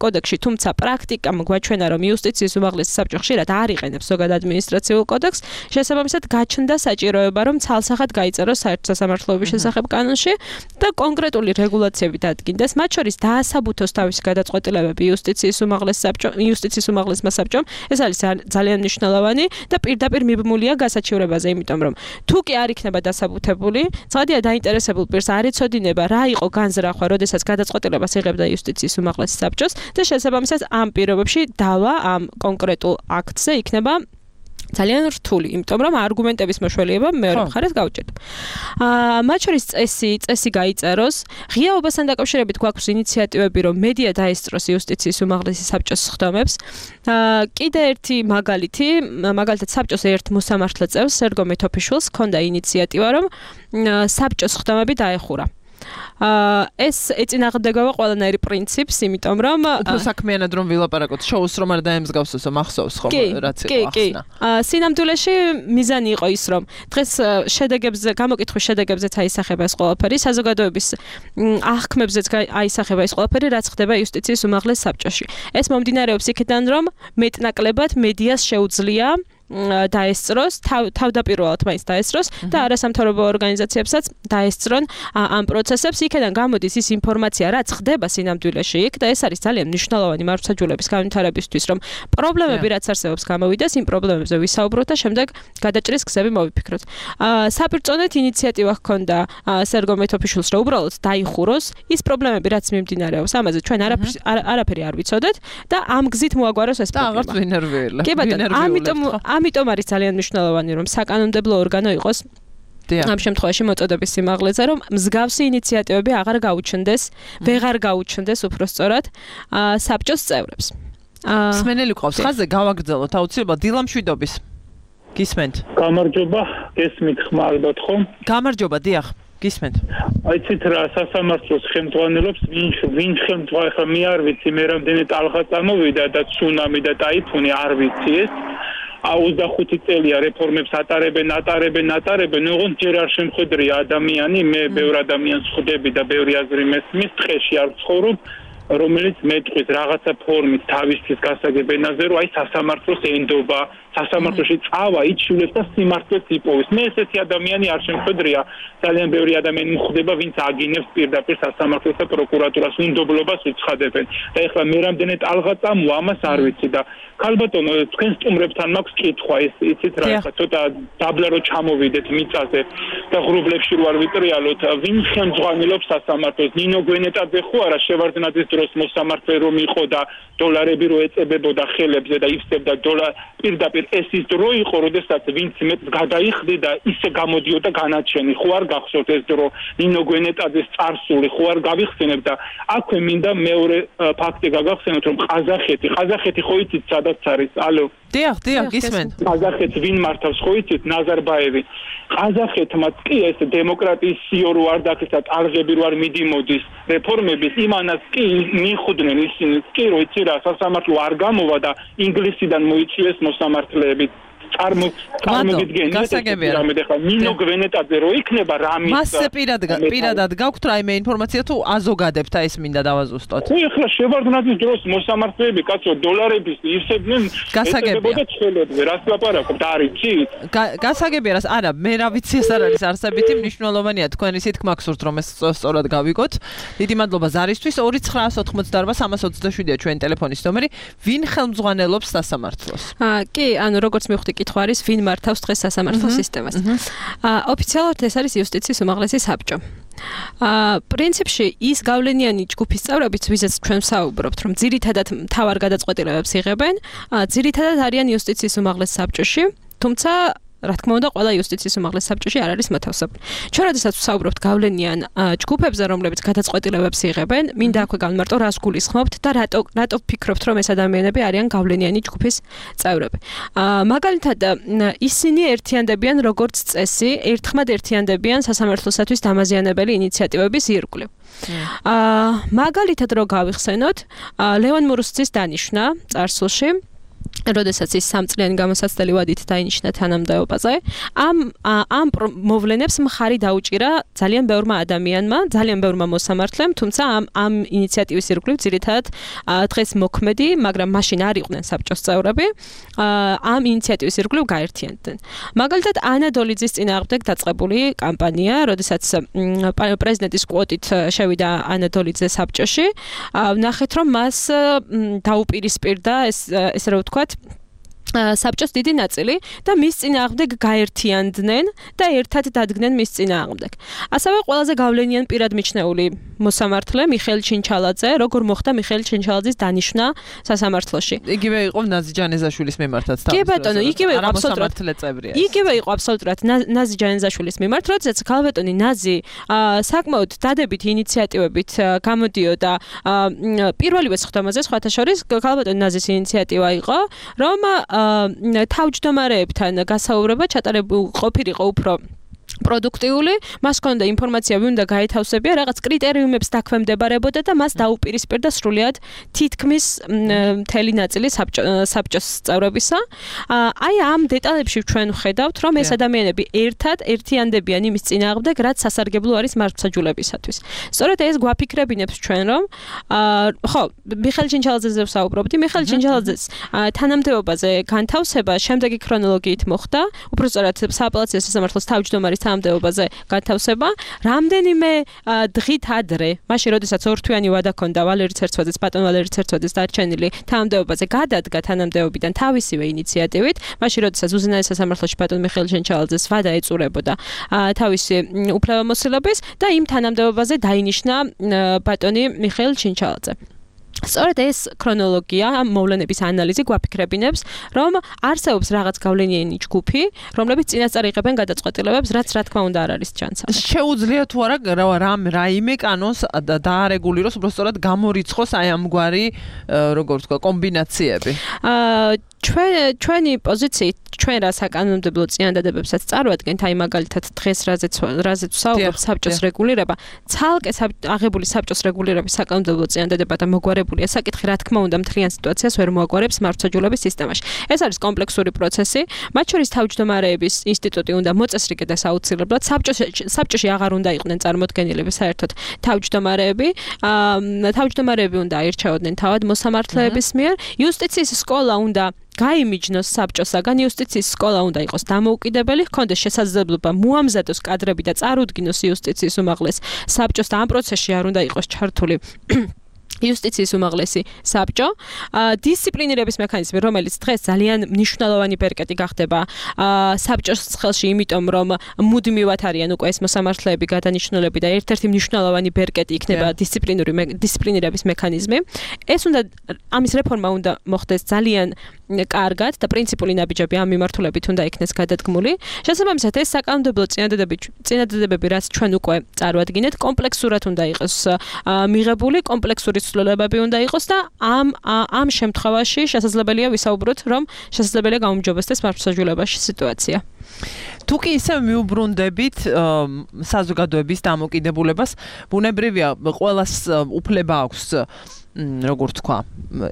კოდექსში, თუმცა პრაქტიკამ გვაჩვენა რომ იუსტიციის უმაღლესი საბჭო ხშირად არ იყენებს ზოგად ადმინისტრაციულ კოდექსს, შესაბამისად გაჩნდა საჭიროება რომ ცალსახად გაიწეროს საერთო სასამართლოების შესახებ კანონში და კონკრეტული რეგულაციები დადგინდეს, მათ შორის დაასაბუთოს თავისი გადაწყვეტილებები იუსტიციის უმაღლეს საბჭომ, იუსტიციის უმაღლესმა საბჭომ, ეს არის ძალიან მნიშვნელოვანი და პირდაპირ მიბმულია გასაჩივრებაზე, იმიტომ რომ თუ კი არ იქნება დასაბუთებული, ცხადია დაინტერესებულ პირს არ იცოდინება რა იყო განზრახვა, როდესაც გადაწყვეტილებას იღებდა იუსტიციის უმაღლესი საბჭოს და შესაბამისად ამ პირობებში დავა ამ კონკრეტულ აქტზე იქნება ძალიან რთული, იმიტომ რომ არგუმენტების მოშველიება მეორე მხარეს გაუჭირდა. აა მათ შორის წესი, წესი გაიწეროს, ღიაობასთან დაკავშირებით გვაქვს ინიციატივები, რომ მედია დაესწროს იუსტიციის უმაღლესი საბჭოს სხდომებს. აა კიდე ერთი მაგალითი, მაგალითად საბჭოს ერთ მოსამართლე წევრს, სერგო მეთოფიშვილს ჰქონდა ინიციატივა, რომ საბჭოს სხდომები დაეხურა. აა ეს ეწინააღმდეგება ყველანაირი პრინციპს, იმიტომ რომ უფრო საქმიანად რომ ვილაპარაკოთ, შოუს რომ არ დაემსგავსოს, მახსოვს ხომ რაც იყო ახსნა. კი, კი. აა სინამდვილეში მიზანი იყო ის, რომ დღეს შედეგებზე, გამოკითხვის შედეგებზეც აისახება ეს ყველაფერი, საზოგადოების აღქმებზეც აისახება ეს ყველაფერი, რაც ხდება იუსტიციის უმაღლეს საბჭოში. ეს მომდინარეობს იქიდან, რომ მეტნაკლებად მედიას შეუძლია დაესწროს, თავდაპირველად მაინც დაესწროს და არასამთავრობო ორგანიზაციებსაც დაესწრონ ამ პროცესებს. იქიდან გამოდის ის ინფორმაცია, რაც ხდება სინამდვილეში იქ და ეს არის ძალიან მნიშვნელოვანი მართლმსაჯულების განვითარებისთვის, რომ პრობლემები რაც არსებობს გამოვიდეს, იმ პრობლემებზე ვისაუბროთ და შემდეგ გადაჭრის გზები მოვიფიქროთ. საპირწონეთ ინიციატივა ჰქონდა სერგო მეთოფიშვილს, რომ უბრალოდ დაიხუროს ის პრობლემები, რაც მიმდინარეობს, ამაზე ჩვენ არაფერი არ ვიცოდეთ და ამ გზით მოაგვაროს ეს პრობლემა. და აღარც ვინერვიულა. კი ბატონო, ამიტომ ამიტომ არის ძალიან მნიშვნელოვანი რომ საკანონმდებლო ორგანო იყოს ამ შემთხვევაში მოწოდების სიმაღლეზე, რომ მსგავსი ინიციატივები აღარ გაუჩნდეს, ვეღარ გაუჩნდეს უბრალოდ საბჭოს წევრებს. სმენელი ყავს ხაზზე გავაგრძელოთ აუცილებლად დილამშვიდობის. გისმენთ? გამარჯობა, გესმით ხმარობთ ხომ? გამარჯობა, დიახ. გისმენთ. აიცით რა სასამართლოს ხელმძღვანელობს, ვინ ვინ ხელმძღვანელი ხა მე არ ვიცი, მე რამდენი ტალღა წამოვიდა და ცუნამი და ტაიფუნი არ ვიცი ეს. ოცდახუთი წელია რეფორმებს ატარებენ, ატარებენ, ატარებენ, ოღონდ ჯერ არ შემხედრია ადამიანი, მე ბევრ ადამიანს ხვდები და ბევრი აზრი მესმის, ტყეში არ ვცხოვრობ, რომელიც მეტყვის რაღაცა ფორმით თავისთვის გასაგებენაზე, რომ აი სასამართლოს ენდობა, სასამართლოში წავა, იჩულებს და სიმართლეს იპოვის. მე ესეთი ადამიანი არ შემხედრია, ძალიან ბევრი ადამიანი მხვდება, ვინც აგინებს პირდაპირ სასამართლოს და პროკურატურას უნდობლობას უცხადებენ. და ეხლა მე რამდენი ტალღა წამოვა, ამას არ ვიცი და ქალბატონო, თქვენ სტუმრებთან მაქვს კითხვა, ეს იცით რა, ეხლა ცოტა დაბლა რო ჩამოვიდეთ მიწაზე და ღრუბლებში რო არ ვიტრიალოთ, ვინ ხელმძღვანელობს სასამართლოს? ნინო გვენეტაძე ხო არა, შევარდნაძის დროს მოსამართლე რომ იყო და დოლარები რო ეწებებოდა ხელებზე და იფსებდა დოლარ პირდაპირ ეს ის დრო იყო, როდესაც ვინც მეც გადაიხდი და ისე გამოდიოდა განაჩენი, ხო არ გახსოვთ ეს დრო, ნინო გვენეტაძის წარსული, ხო არ გავიხსენებ და აქვე მინდა მეორე ფაქტი გაგახსენოთ, რომ ყაზახეთი, ყაზახეთი ხო იცით სადაც არის? ალო. დიახ, დიახ, გისმენთ. ყაზახეთს ვინ მართავს ხო იცით? ნაზარბაევი. ყაზახეთმა კი ეს დემოკრატიის სიო რო არ დაქეცა, ტალღები რო არ მიდიმოდის რეფორმების, იმანაც კი მიხვდნენ ისინი, კი რო იცი რა, სასამართლო არ გამოვა და ინგლისიდან მოიწვიეს მოსამართლეები. წარმო წარმოგიდგენთ რამე ხა ნინო გვენეტაძე რო იქნება რამის მასზე პირად პირადად გაქვთ რაიმე ინფორმაცია თუ აზოგადებთ აი ეს მინდა დავაზუსტოთ. ხო ეხლა შევარდნაძის დროს მოსამართლეები კაცო დოლარების ივსებდნენ გასაგებია ცხოველებზე რას ლაპარაკობთ არიცით? გასაგებია რას არა მე რა ვიცი ეს არ არის არსებითი მნიშვნელოვანია თქვენი სითქმა გსურთ რომ ეს სწორად გავიგოთ. დიდი მადლობა ზარისთვის ორი ცხრა ოთხმოცდაარბა სამას ოცდაშვიდია ჩვენი ტელეფონის ნომერი. ვინ ხელმძღვანელობს სასამართლოს? აა კი, ანუ როგორც მივხვდი კითხვა არის ვინ მართავს დღეს სასამართლო სისტემას. აა ოფიციალურად ეს არის იუსტიციის უმაღლესი საბჭო. აა პრინციპში ის გავლენიანი ჯგუფის წევრებიც ვიზაც ჩვენ ვსაუბრობთ რომ ძირითადად მთავარ გადაწყვეტილებებს იღებენ, აა ძირითადად არიან იუსტიციის უმაღლეს საბჭოში, თუმცა რა თქმა უნდა, ყველა იუსტიციის უმაღლეს საბჭოში არ არის მოთავსებული. ჩვენ როდესაც ვსაუბრობთ გავლენიან ჯგუფებზე, რომლებიც გადაწყვეტილებებს იღებენ, მინდა აქვე გავმარტო რას გულისხმობთ და რატო რატო ფიქრობთ, რომ ეს ადამიანები არიან გავლენიანი ჯგუფის წევრები. აა მაგალითად, ისინი ერთიანდებიან როგორც წესი, ერთხმად ერთიანდებიან სასამართლოსათვის დამაზიანებელი ინიციატივების ირგვლივ. აა მაგალითად რო გავიხსენოთ, ლევან მურუსძის დანიშვნა წარსულში როდესაც ის სამწლიანი გამოსაცდელი ვადით დაინიშნა თანამდებობაზე, ამ ამ მოვლენებს მხარი დაუჭირა ძალიან ბევრმა ადამიანმა, ძალიან ბევრმა მოსამართლემ, თუმცა ამ ამ ინიციატივის ირგვლივ ძირითადად დღეს მოქმედი, მაგრამ მაშინ არ იყვნენ საბჭოს წევრები, ამ ინიციატივის ირგვლივ გაერთიანდნენ. მაგალითად, ანა დოლიძის წინააღმდეგ დაწყებული კამპანია, როდესაც პრეზიდენტის კვოტით შევიდა ანა დოლიძე საბჭოში, ვნახეთ, რომ მას დაუპირისპირდა ეს ესე რა ვთქვათ საბჭოს დიდი ნაწილი და მის წინააღმდეგ გაერთიანდნენ და ერთად დადგნენ მის წინააღმდეგ. ასევე ყველაზე გავლენიან პირად მიჩნეული მოსამართლე მიხეილ ჩინჩალაძე, როგორ მოხდა მიხეილ ჩინჩალაძის დანიშვნა სასამართლოში. იგივე იყო ნაზი ჯანეზაშვილის მიმართაც თავის. კი ბატონო, იგივე იყო აბსოლუტურად წევრია. იგივე იყო აბსოლუტურად ნაზი ჯანეზაშვილის მიმართ, როდესაც ქალბატონი ნაზი საკმაოდ დადებით ინიციატივებით გამოდიოდა პირველივე სხდომაზე, სხვათა შორის ქალბატონი ნაზის ინიციატივა იყო, რომ თავმჯდომარეებთან გასაუბრება ჩატარებულ ყოფილიყო უფრო პროდუქტიული, მას ჰქონდა ინფორმაცია, ვინ უნდა გაეთავსებია, რაღაც კრიტერიუმებს დაქვემდებარებოდა და მას დაუპირისპირდა სრულიად თითქმის მთელი ნაწილი საბჭოს წევრებისა. აი ამ დეტალებში ჩვენ ვხედავთ, რომ ეს ადამიანები ერთად ერთიანდებიან იმის წინააღმდეგ, რაც სასარგებლო არის მართლმსაჯულებისათვის. სწორედ ეს გვაფიქრებინებს ჩვენ, რომ ხო, მიხეილ ჩინჩალაძეზე ვსაუბრობდი, მიხეილ ჩინჩალაძეს თანამდებობაზე განთავსება შემდეგი ქრონოლოგიით მოხდა, უბრალოდ სააპელაციო სასამართლოს თავმჯდომარის თანამდებობაზე განთავსება რამდენიმე დღით ადრე, მაშინ როდესაც ორთვიანი ვადა ჰქონდა ვალერი ცერცვაძეს, ბატონ ვალერი ცერცვაძეს დარჩენილი თანამდებობაზე გადადგა თანამდებობიდან თავისივე ინიციატივით, მაშინ როდესაც უზენაეს სასამართლოში ბატონ მიხეილ ჩინჩალაძეს ვადა ეწურებოდა თავისი უფლებამოსილების და იმ თანამდებობაზე დაინიშნა ბატონი მიხეილ ჩინჩალაძე. სწორედ ეს ქრონოლოგია, ამ მოვლენების ანალიზი გვაფიქრებინებს, რომ არსებობს რაღაც გავლენიანი ჯგუფი, რომლებიც წინასწარ იღებენ გადაწყვეტილებებს, რაც რა თქმა უნდა არ არის ჩანსავი. შეუძლია თუ არა რამ რაიმე კანონს დაარეგულიროს, უბრალოდ სწორად გამორიცხოს აი ამგვარი როგორ ვთქვა კომბინაციები. აა ჩვენ ჩვენი პოზიციით ჩვენ რა საკანონმდებლო წინადადებებსაც წარვადგენთ, აი მაგალითად დღეს რაზეც რაზეც ვსაუბრობ საბჭოს რეგულირება, ცალკე აღებული საბჭოს რეგულირების საკანონმდებლო წინადადება და მოგვარებულია საკითხი, რა თქმა უნდა, მთლიან სიტუაციას ვერ მოაგვარებს მართლმსაჯულების სისტემაში. ეს არის კომპლექსური პროცესი, მათ შორის თავმჯდომარეების ინსტიტუტი უნდა მოწესრიგდეს აუცილებლად, საბჭოში საბჭოში აღარ უნდა იყვნენ წარმოდგენილები საერთოდ თავმჯდომარეები, თავმჯდომარეები უნდა აირჩეოდნენ თავად მოსამართლეების მიერ, იუსტიციის სკოლა უნდა გაიმიჯნოს საბჭოსაგან, იუსტიციის სკოლა უნდა იყოს დამოუკიდებელი, ჰქონდეს შესაძლებლობა მოამზადოს კადრები და წარუდგინოს იუსტიციის უმაღლეს საბჭოს და ამ პროცესში არ უნდა იყოს ჩართული იუსტიციის უმაღლესი საბჭო, დისციპლინირების მექანიზმი, რომელიც დღეს ძალიან მნიშვნელოვანი ბერკეტი გახდება საბჭოს ხელში, იმიტომ რომ მუდმივად არიან უკვე ეს მოსამართლეები გადანიშნულები და ერთ-ერთი მნიშვნელოვანი ბერკეტი იქნება დისციპლინური დისციპლინირების მექანიზმი. ეს უნდა ამის რეფორმა უნდა მოხდეს ძალიან კარგად და პრინციპული ნაბიჯები ამ მიმართულებით უნდა იქნეს გადადგმული. შესაბამისად, ეს საკანონმდებლო წინადადებები, რაც ჩვენ უკვე წარვადგინეთ, კომპლექსურად უნდა იყოს მიღებული, კომპლექსური ცვლილებები უნდა იყოს და ამ ამ შემთხვევაში შესაძლებელია ვისაუბროთ, რომ შესაძლებელია გაუმჯობესდეს მართლმსაჯულებაში სიტუაცია. თუ კი ისე მიუბრუნდებით საზოგადოების დამოკიდებულებას, ბუნებრივია ყველას უფლება აქვს როგორ თქვა,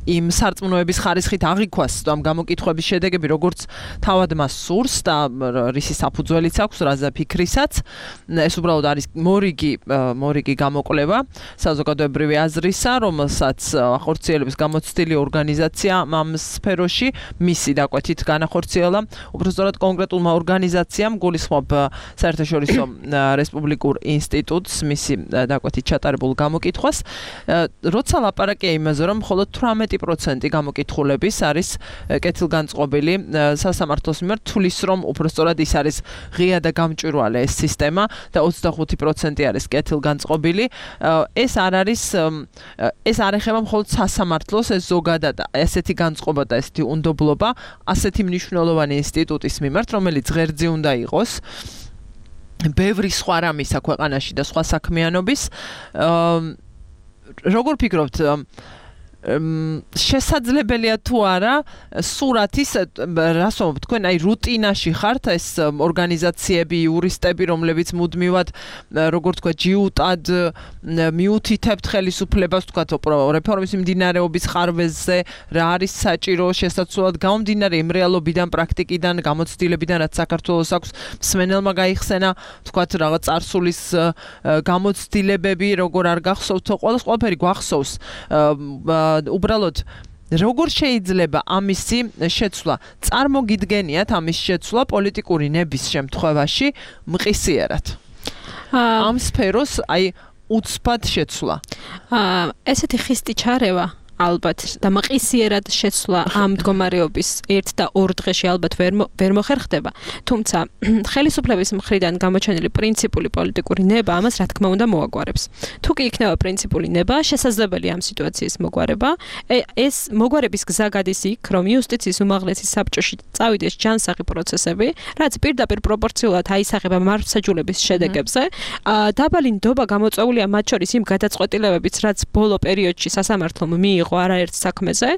იმ სარწმუნოების ხარისხით აღიქვას ამ გამოკითხვების შედეგები, როგორც თავად მას სურს და რისი საფუძველიც აქვს, რაზე ფიქრისაც. ეს უბრალოდ არის მორიგი მორიგი გამოკვლევა საზოგადოებრივი აზრისა, რომელსაც ახორციელებს გამოცდილი ორგანიზაცია ამ სფეროში, მისი დაკვეთით განახორციელა. უბრალოდ კონკრეტულმა ორგანიზაციამ გულისხმობ საერთაშორისო რესპუბლიკურ ინსტიტუტს მისი დაკვეთით ჩატარებულ გამოკითხვას, როცა ლაპარაკია იმაზე, რომ მხოლოდ თვრამეტი პროცენტი გამოკითხულების არის კეთილგანწყობილი სასამართლოს მიმართ, თulis რომ უბრალოდ ის არის ღია და გამჭვირვალე ეს სისტემა და ოცდახუთი პროცენტი არის კეთილგანწყობილი. ეს არ არის ეს არ ეხება მხოლოდ სასამართლოს, ეს ზოგადად ესეთი განწყობა და ესეთი უნდობლობა ასეთი მნიშვნელოვანი ინსტიტუტის მიმართ, რომელიც ღერძი უნდა იყოს ბევრი სხვა რამისა ქვეყანაში და სხვა საქმიანობის. როგორ ფიქრობთ, შესაძლებელია თუ არა სურათის, რას ვამბობ, თქვენ აი რუტინაში ხართ ეს ორგანიზაციები, იურისტები, რომლებიც მუდმივად, როგორ თქვა, ჯიუტად მიუთითებთ ხელისუფლებას, თქვა, რეფორმის მიმდინარეობის ხარვეზზე, რა არის საჭირო, შესაძლოა გამომდინარე იმ რეალობიდან, პრაქტიკიდან, გამოცდილებიდან, რაც საქართველოს აქვს, მსმენელმა გაიხსენა, თქვა, რაღაც წარსულის გამოცდილებები, როგორ არ გახსოვთო, ყველას ყველაფერი გვახსოვს. უბრალოდ როგორ შეიძლება ამისი შეცვლა? წარმოგიდგენიათ ამის შეცვლა პოლიტიკური ნების შემთხვევაში მყისიერად? ამ სფეროს აი უცბად შეცვლა. ესეთი ხისტი ჩარევა ალბათ და მყისიერად შეცვლა ამ მდგომარეობის ერთ და ორ დღეში ალბათ ვერ ვერ მოხერხდება. თუმცა ხელისუფლების მხრიდან გამოჩენილი პრინციპული პოლიტიკური ნება ამას რა თქმა უნდა მოაგვარებს. თუ კი იქნება პრინციპული ნება, შესაძლებელია ამ სიტუაციის მოგვარება. ეს მოგვარების გზა გადის იქ, რომ იუსტიციის უმაღლესი საბჭოში წავიდეს ჯანსაღი პროცესები, რაც პირდაპირ პროპორციულად აისახება მართლმსაჯულების შედეგებზე. დაბალი ნდობა გამოწვეულია მათ შორის იმ გადაწყვეტილებებიც, რაც ბოლო პერიოდში სასამართლომ მიიღო არაერთ საქმეზე.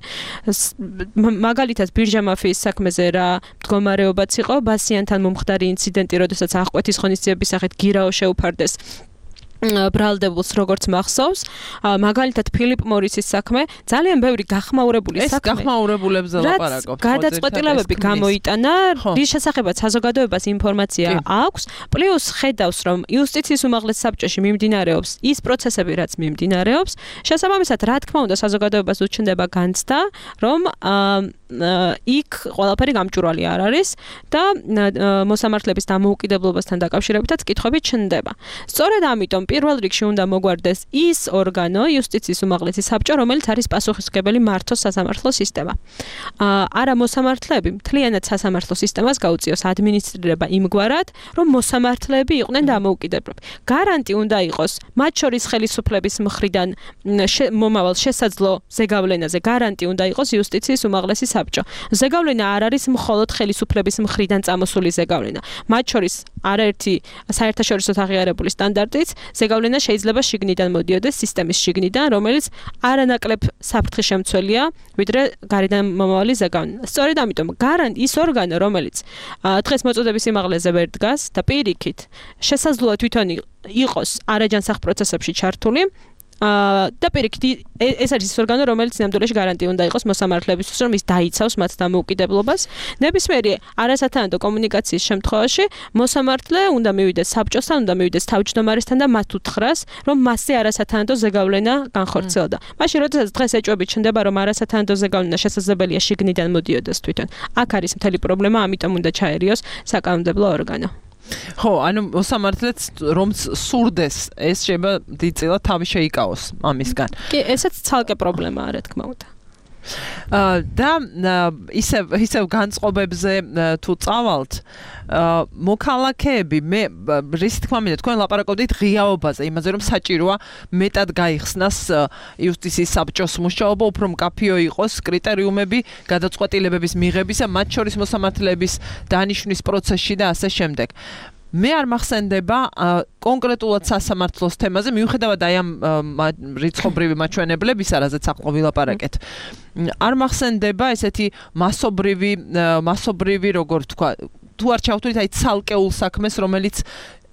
მაგალითად ბირჟა მაფიის საქმეზე რა მდგომარეობაც იყო, ბასიანთან მომხდარი ინციდენტი, როდესაც აღკვეთის ღონისძიების სახით გირაო შეუფარდეს ბრალდებულს, როგორც მახსოვს, მაგალითად ფილიპ მორისის საქმე, ძალიან ბევრი გახმაურებული საქმე. ეს გახმაურებულებზე ლაპარაკობთ. გადაწყვეტილებები გამოიტანა, რის შესახებაც საზოგადოებას ინფორმაცია აქვს, პლუს ხედავს, რომ იუსტიციის უმაღლეს საბჭოში მიმდინარეობს ის პროცესები, რაც მიმდინარეობს, შესაბამისად, რა თქმა უნდა, საზოგადოებას უჩნდება განცდა, რომ იქ ყველაფერი გამჭვირვალე არ არის და მოსამართლეების დამოუკიდებლობასთან დაკავშირებითაც კითხვები ჩნდება. სწორედ ამიტომ პირველ რიგში უნდა მოგვარდეს ის ორგანო, იუსტიციის უმაღლესი საბჭო, რომელიც არის პასუხისმგებელი მართოს სასამართლო სისტემა. არა მოსამართლეები, მთლიანად სასამართლო სისტემას გაუწიოს ადმინისტრირება იმგვარად, რომ მოსამართლეები იყვნენ დამოუკიდებლები. გარანტი უნდა იყოს მათ შორის ხელისუფლების მხრიდან მომავალ შესაძლო ზეგავლენაზე, გარანტი უნდა იყოს იუსტიციის უმაღლესი საბჭო. ზეგავლენა არ არის მხოლოდ ხელისუფლების მხრიდან წამოსული ზეგავლენა. მათ შორის არაერთი საერთაშორისოდ აღიარებული სტანდარტიც ზეგავლენა შეიძლება შიგნიდან მოდიოდეს სისტემის შიგნიდან, რომელიც არანაკლებ საფრთხის შემცველია, ვიდრე გარედან მომავალი ზეგავლენა. სწორედ ამიტომ გარანტი ის ორგანო, რომელიც დღეს მოწოდების სიმაღლეზე ვერ დგას და პირიქით შესაძლოა თვითონ იყოს არაჯანსაღ პროცესებში ჩართული, და პირიქით ეს არის ის ორგანო, რომელიც ნამდვილად გარანტი უნდა იყოს მოსამართლეებისთვის, რომ ის დაიცავს მათ დამოუკიდებლობას. ნებისმიერი არასათანადო კომუნიკაციის შემთხვევაში მოსამართლე უნდა მივიდეს საბჭოსთან, უნდა მივიდეს თავმჯდომარესთან და მათ უთხრას, რომ მასზე არასათანადო ზეგავლენა განხორციელდა. მაშინ როდესაც დღეს ეჭვები ჩნდება, რომ არასათანადო ზეგავლენა შესაძლებელია შიგნიდან მოდიოდეს თვითონ. აქ არის მთელი პრობლემა, ამიტომ უნდა ჩაერიოს საკანონმდებლო ორგანო. ხო, ანუ მოსამართლეც რომც სურდეს, ეს შეიძლება დიდწილად თავი შეიკავოს ამისგან. კი, ესეც ცალკე პრობლემაა, რა თქმა უნდა. და ისევ ისევ განწყობებზე თუ წავალთ, მოქალაქეები, მე რის თქმა მინდა, თქვენ ლაპარაკობდით ღიაობაზე, იმაზე რომ საჭიროა მეტად გაიხსნას იუსტიციის საბჭოს მუშაობა, უფრო მკაფიო იყოს კრიტერიუმები გადაწყვეტილებების მიღებისა, მათ შორის მოსამართლეების დანიშვნის პროცესში და ასე შემდეგ. მე არ მახსენდება კონკრეტულად სასამართლოს თემაზე, მიუხედავად აი ამ რიცხობრივი მაჩვენებლებისა, რაზეც ახლა ვილაპარაკეთ. არ მახსენდება ესეთი მასობრივი მასობრივი, როგორ თქვა, თუ არ ჩავთვლით აი ცალკეულ საქმეს, რომელიც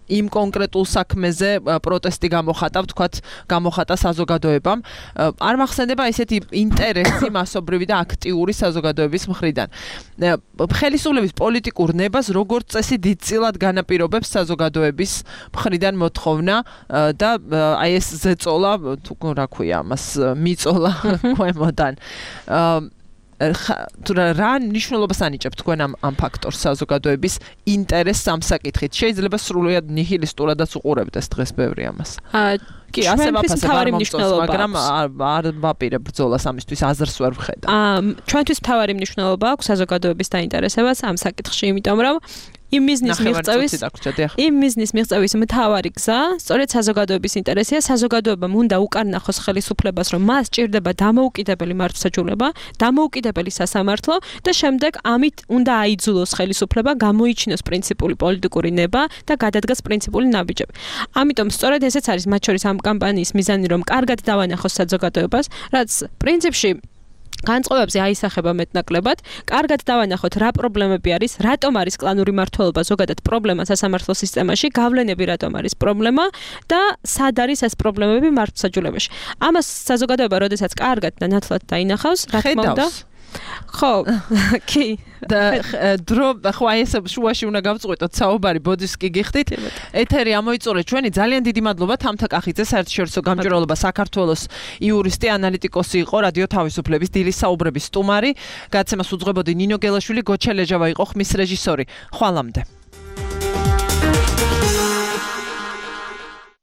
იმ კონკრეტულ საქმეზე პროტესტი გამოხატა, ვთქვათ, გამოხატა საზოგადოებამ. არ მახსენდება ესეთი ინტერესი მასობრივი და აქტიური საზოგადოების მხრიდან. ხელისუფლების პოლიტიკურ ნებას როგორც წესი დიდწილად განაპირობებს საზოგადოების მხრიდან მოთხოვნა და აი ეს ზეწოლა, თუ რა ქვია ამას, მიწოლა ქვემოდან. თუ რა ნიშნულობას ანიჭებთ თქვენ ამ ამ ფაქტორს საზოგადოების ინტერესს ამ საკითხით? შეიძლება სრულიად ნიჰილისტურადაც უყურებდეს დღეს ბევრი ამას. კი, ასე ვაფასებ, არ მომწონს, მაგრამ არ ვაპირებ ბრძოლას ამისთვის, აზრს ვერ ვხედავ. ჩვენთვის მთავარი მნიშვნელობა აქვს საზოგადოების დაინტერესებას ამ საკითხში, იმიტომ რომ იმ მიზნის მიღწევის იმ მიზნის მიღწევის მთავარი გზა სწორედ საზოგადოების ინტერესია. საზოგადოებამ უნდა უკარნახოს ხელისუფლებას, რომ მას ჭირდება დამოუკიდებელი მართლმსაჯულება, დამოუკიდებელი სასამართლო და შემდეგ ამით უნდა აიძულოს ხელისუფლება გამოიჩინოს პრინციპული პოლიტიკური ნება და გადადგას პრინციპული ნაბიჯები. ამიტომ სწორედ ესეც არის მათ შორის ამ კამპანიის მიზანი, რომ კარგად დავანახოს საზოგადოებას, რაც პრინციპში განწყობებზე აისახება მეტნაკლებად, კარგად დავანახოთ რა პრობლემები არის, რატომ არის კლანური მმართველობა ზოგადად პრობლემა სასამართლო სისტემაში, გავლენები რატომ არის პრობლემა და სად არის ეს პრობლემები მართლმსაჯულებაში. ამას საზოგადოება როდესაც კარგად და ნათლად დაინახავს, რა თქმა უნდა, ხო, კი. და დრო ხო აი ეს შუაში უნდა გავწყვეტოთ საუბარი ბოძის კი გიხდით. ეთერი ამოიწურეთ ჩვენი ძალიან დიდი მადლობა თამთა კახიძე, საერთაშორისო გამჭვირვალობა საქართველოს იურისტი, ანალიტიკოსი იყო, რადიო თავისუფლების დილის საუბრების სტუმარი. გაცემას უძღვებოდი ნინო გელაშვილი, გოჩა ლეჟავა იყო ხმის რეჟისორი. ხვალამდე.